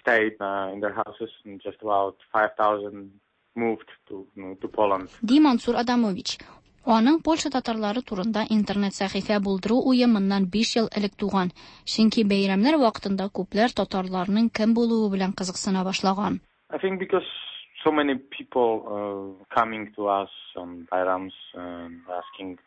Speaker 35: stayed in their houses and just about 5,000 moved to, to Poland.
Speaker 11: Ди Мансур Адамович. Аның Польша татарлары турында интернет сәхифә булдыру уе моннан 5 ел элек туган. Чөнки бәйрәмнәр вакытында күпләр татарларның кем булуы белән кызыксына башлаган.
Speaker 35: I think because so many people coming to us on Bayrams and asking.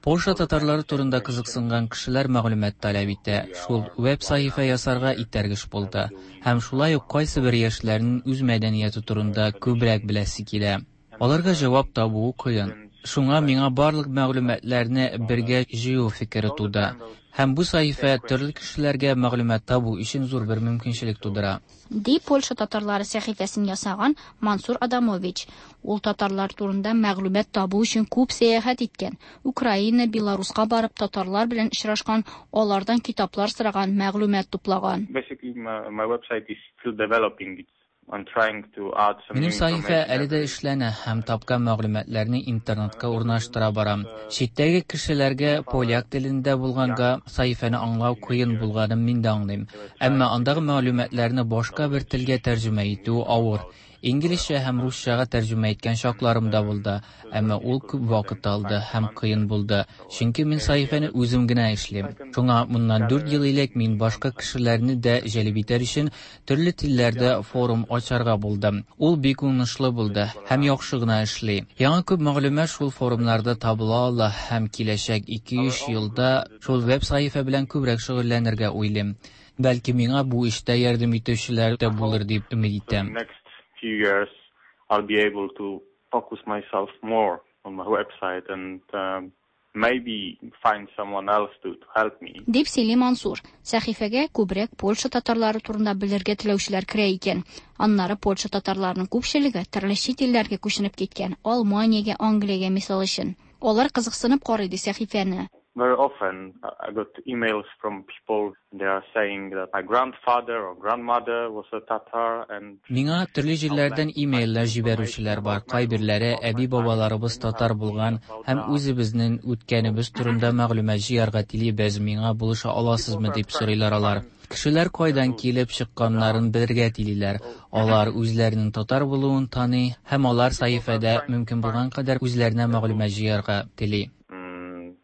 Speaker 36: Польша татарлары турында кызыксынган кешеләр мәгълүмат таләп итә. Шул веб-сәхифә ясарга этәргеч булды. Һәм шулай ук кайсыбер яшьләрнең үз мәдәнияте турында күбрәк беләсе килә. Аларга җавап табуы кыен. Шуңа миңа барлык мәгълүматларны бергә җыю фикере туды. Һәм бу сәхифә төрле кешеләргә мәгълүмат табу өчен зур бер мөмкинчелек тудыра.
Speaker 11: Ди Польша татарлары сәхифәсен ясаган Мансур Адамович. Ул татарлар турында мәгълүмат табу өчен күп сәяхәт иткән. Украина, Беларуска барып татарлар белән очрашкан, алардан китаплар сораган, мәгълүмат туплаган.
Speaker 35: Basically, my website is still developing. It's I'm trying to add some
Speaker 36: Минем сәхифә әле дә эшләнә һәм тапкан мәгълүматларны интернетка урнаштыра барам. Читтәге кешеләргә поляк телендә булганга сәхифәне аңлау кыен булганын мин дә аңлыйм. Әмма андагы мәгълүматларны башка бер телгә тәрҗемә итү авыр. Инглизчә һәм русчага тәрҗемә иткән чакларым да булды, әмма ул күп вакыт алды һәм кыен булды, чөнки мин сәхифәне үзем генә эшлим. Шуңа моннан 4 ел элек мин башка кешеләрне дә җәлеп итәр өчен төрле телләрдә форум ачарга булдым. Ул бик уңышлы булды һәм яхшы гына эшли. Яңа күп мәгълүмат шул форумнарда табыла ала һәм киләчәк 2-3 елда шул веб-сәхифә белән күбрәк шөгыльләнергә уйлыйм. Бәлки миңа бу эштә ярдәм итүчеләр дә булыр дип өмет итәм.
Speaker 35: Few years I'll be able to focus myself more on my website and maybe find someone else to help me.
Speaker 11: Дип сөйли Мансур. Сәхифәгә күбрәк Польша татарлары турында белергә теләүчеләр керә икән. Аннары Польша татарларының күпчелеге төрле чит илләргә күченеп киткән. Алманиягә, Англиягә мисал өчен. Алар кызыксынып карый ди сәхифәне.
Speaker 35: Very often I got emails from people, they are saying that my grandfather or grandmother was a Tatar and
Speaker 36: Миңа төрле җирләрдән имейлләр җибәрүчеләр бар. Кайберләре әби-бабаларыбыз татар булган һәм үзебезнең үткәнебез турында мәгълүмат җыярга телибез, миңа булыша аласызмы дип сорыйлар алар. Кешеләр кайдан килеп чыкканнарын белергә телиләр. Алар үзләренең татар булуын таный һәм алар сәхифәдә мөмкин булган кадәр үзләренә мәгълүмат җыярга тели.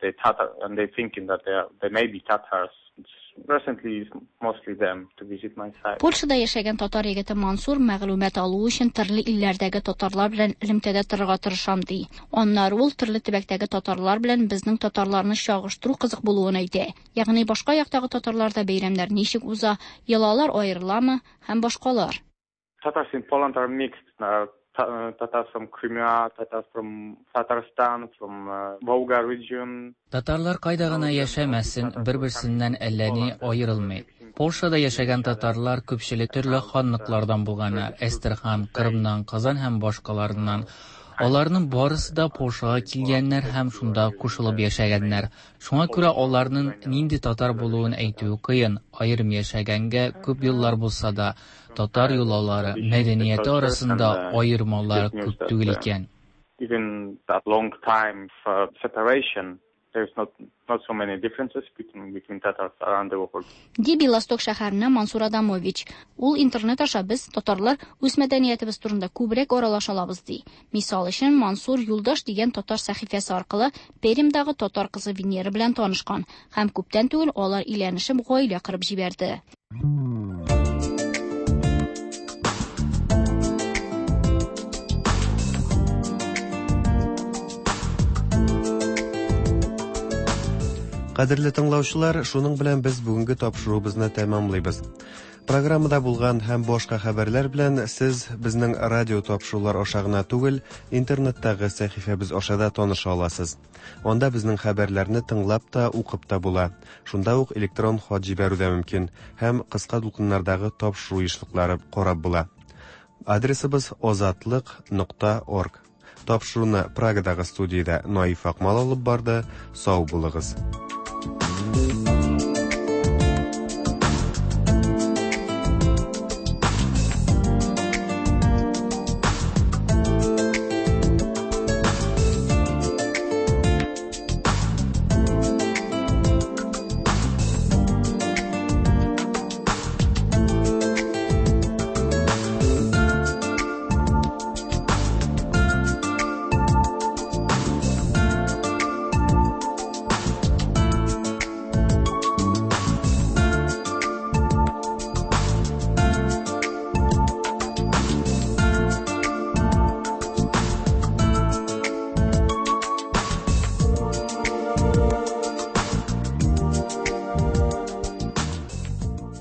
Speaker 35: They Tatar and they thinking that they may be Tatars. It's recently it's mostly them to visit my site.
Speaker 11: Польшада яшәгән татар егете Мансур мәгълүмат алу өчен төрле илләрдәге татарлар белән элемтәдә торырга тырышам ди. Аннары ул төрле төбәктәге татарлар белән безнең татарларны чагыштыру кызык булуын әйтә. Ягъни башка яктагы татарларда бәйрәмнәр ничек уза, йолалар аерыламы һәм башкалар.
Speaker 35: Tatars in Poland are mixed. Tatars from Crimea, Tatars from Tatarstan, from Volga region.
Speaker 36: Татарлар кайда гына яшәмәсен, бер-берсеннән әллә ни аерылмый. Польшада яшәгән татарлар күпчелек төрле ханлыклардан булганнар. Әстерхан, Кырымнан, Казан һәм башкаларыннан. Аларның барысы да Польшага килгәннәр һәм шунда кушылып яшәгәннәр. Шуңа күрә аларның нинди татар булуын әйтүе кыен. Аерым яшәгәнгә күп еллар булса да, татар йолалары, мәдәнияте арасында аермалар күп түгел икән.
Speaker 35: Even that long time for separation, there's not so many differences between Tatars around the world.
Speaker 11: Ди Белосток шәһәреннән Мансур Адамович. Ул интернет аша без татарлар үз мәдәниятебез турында күбрәк аралаша алабыз ди. Мисал өчен Мансур Юлдаш дигән татар сәхифәсе аркылы Пермьдагы татар кызы Венера белән танышкан һәм күптән түгел алар өйләнешеп гаилә корып җибәрде.
Speaker 2: Кадерле тыңлаучылар, шуның белән без бүгенге тапшыруыбызны тәмамлыйбыз. Программада булган һәм башка хәбәрләр белән сез безнең радио тапшырулар аша гына түгел, интернеттагы сәхифәбез аша да таныша аласыз. Анда безнең хәбәрләрне тыңлап та, укып та була. Шунда ук электрон хат җибәрү дә мөмкин һәм кыска дулкыннардагы тапшыру ешлыклары карап була. Адресыбыз озатлык.орг. Тапшыруны Прагадагы студиядә Наиф Акмал алып барды. Сау булыгыз.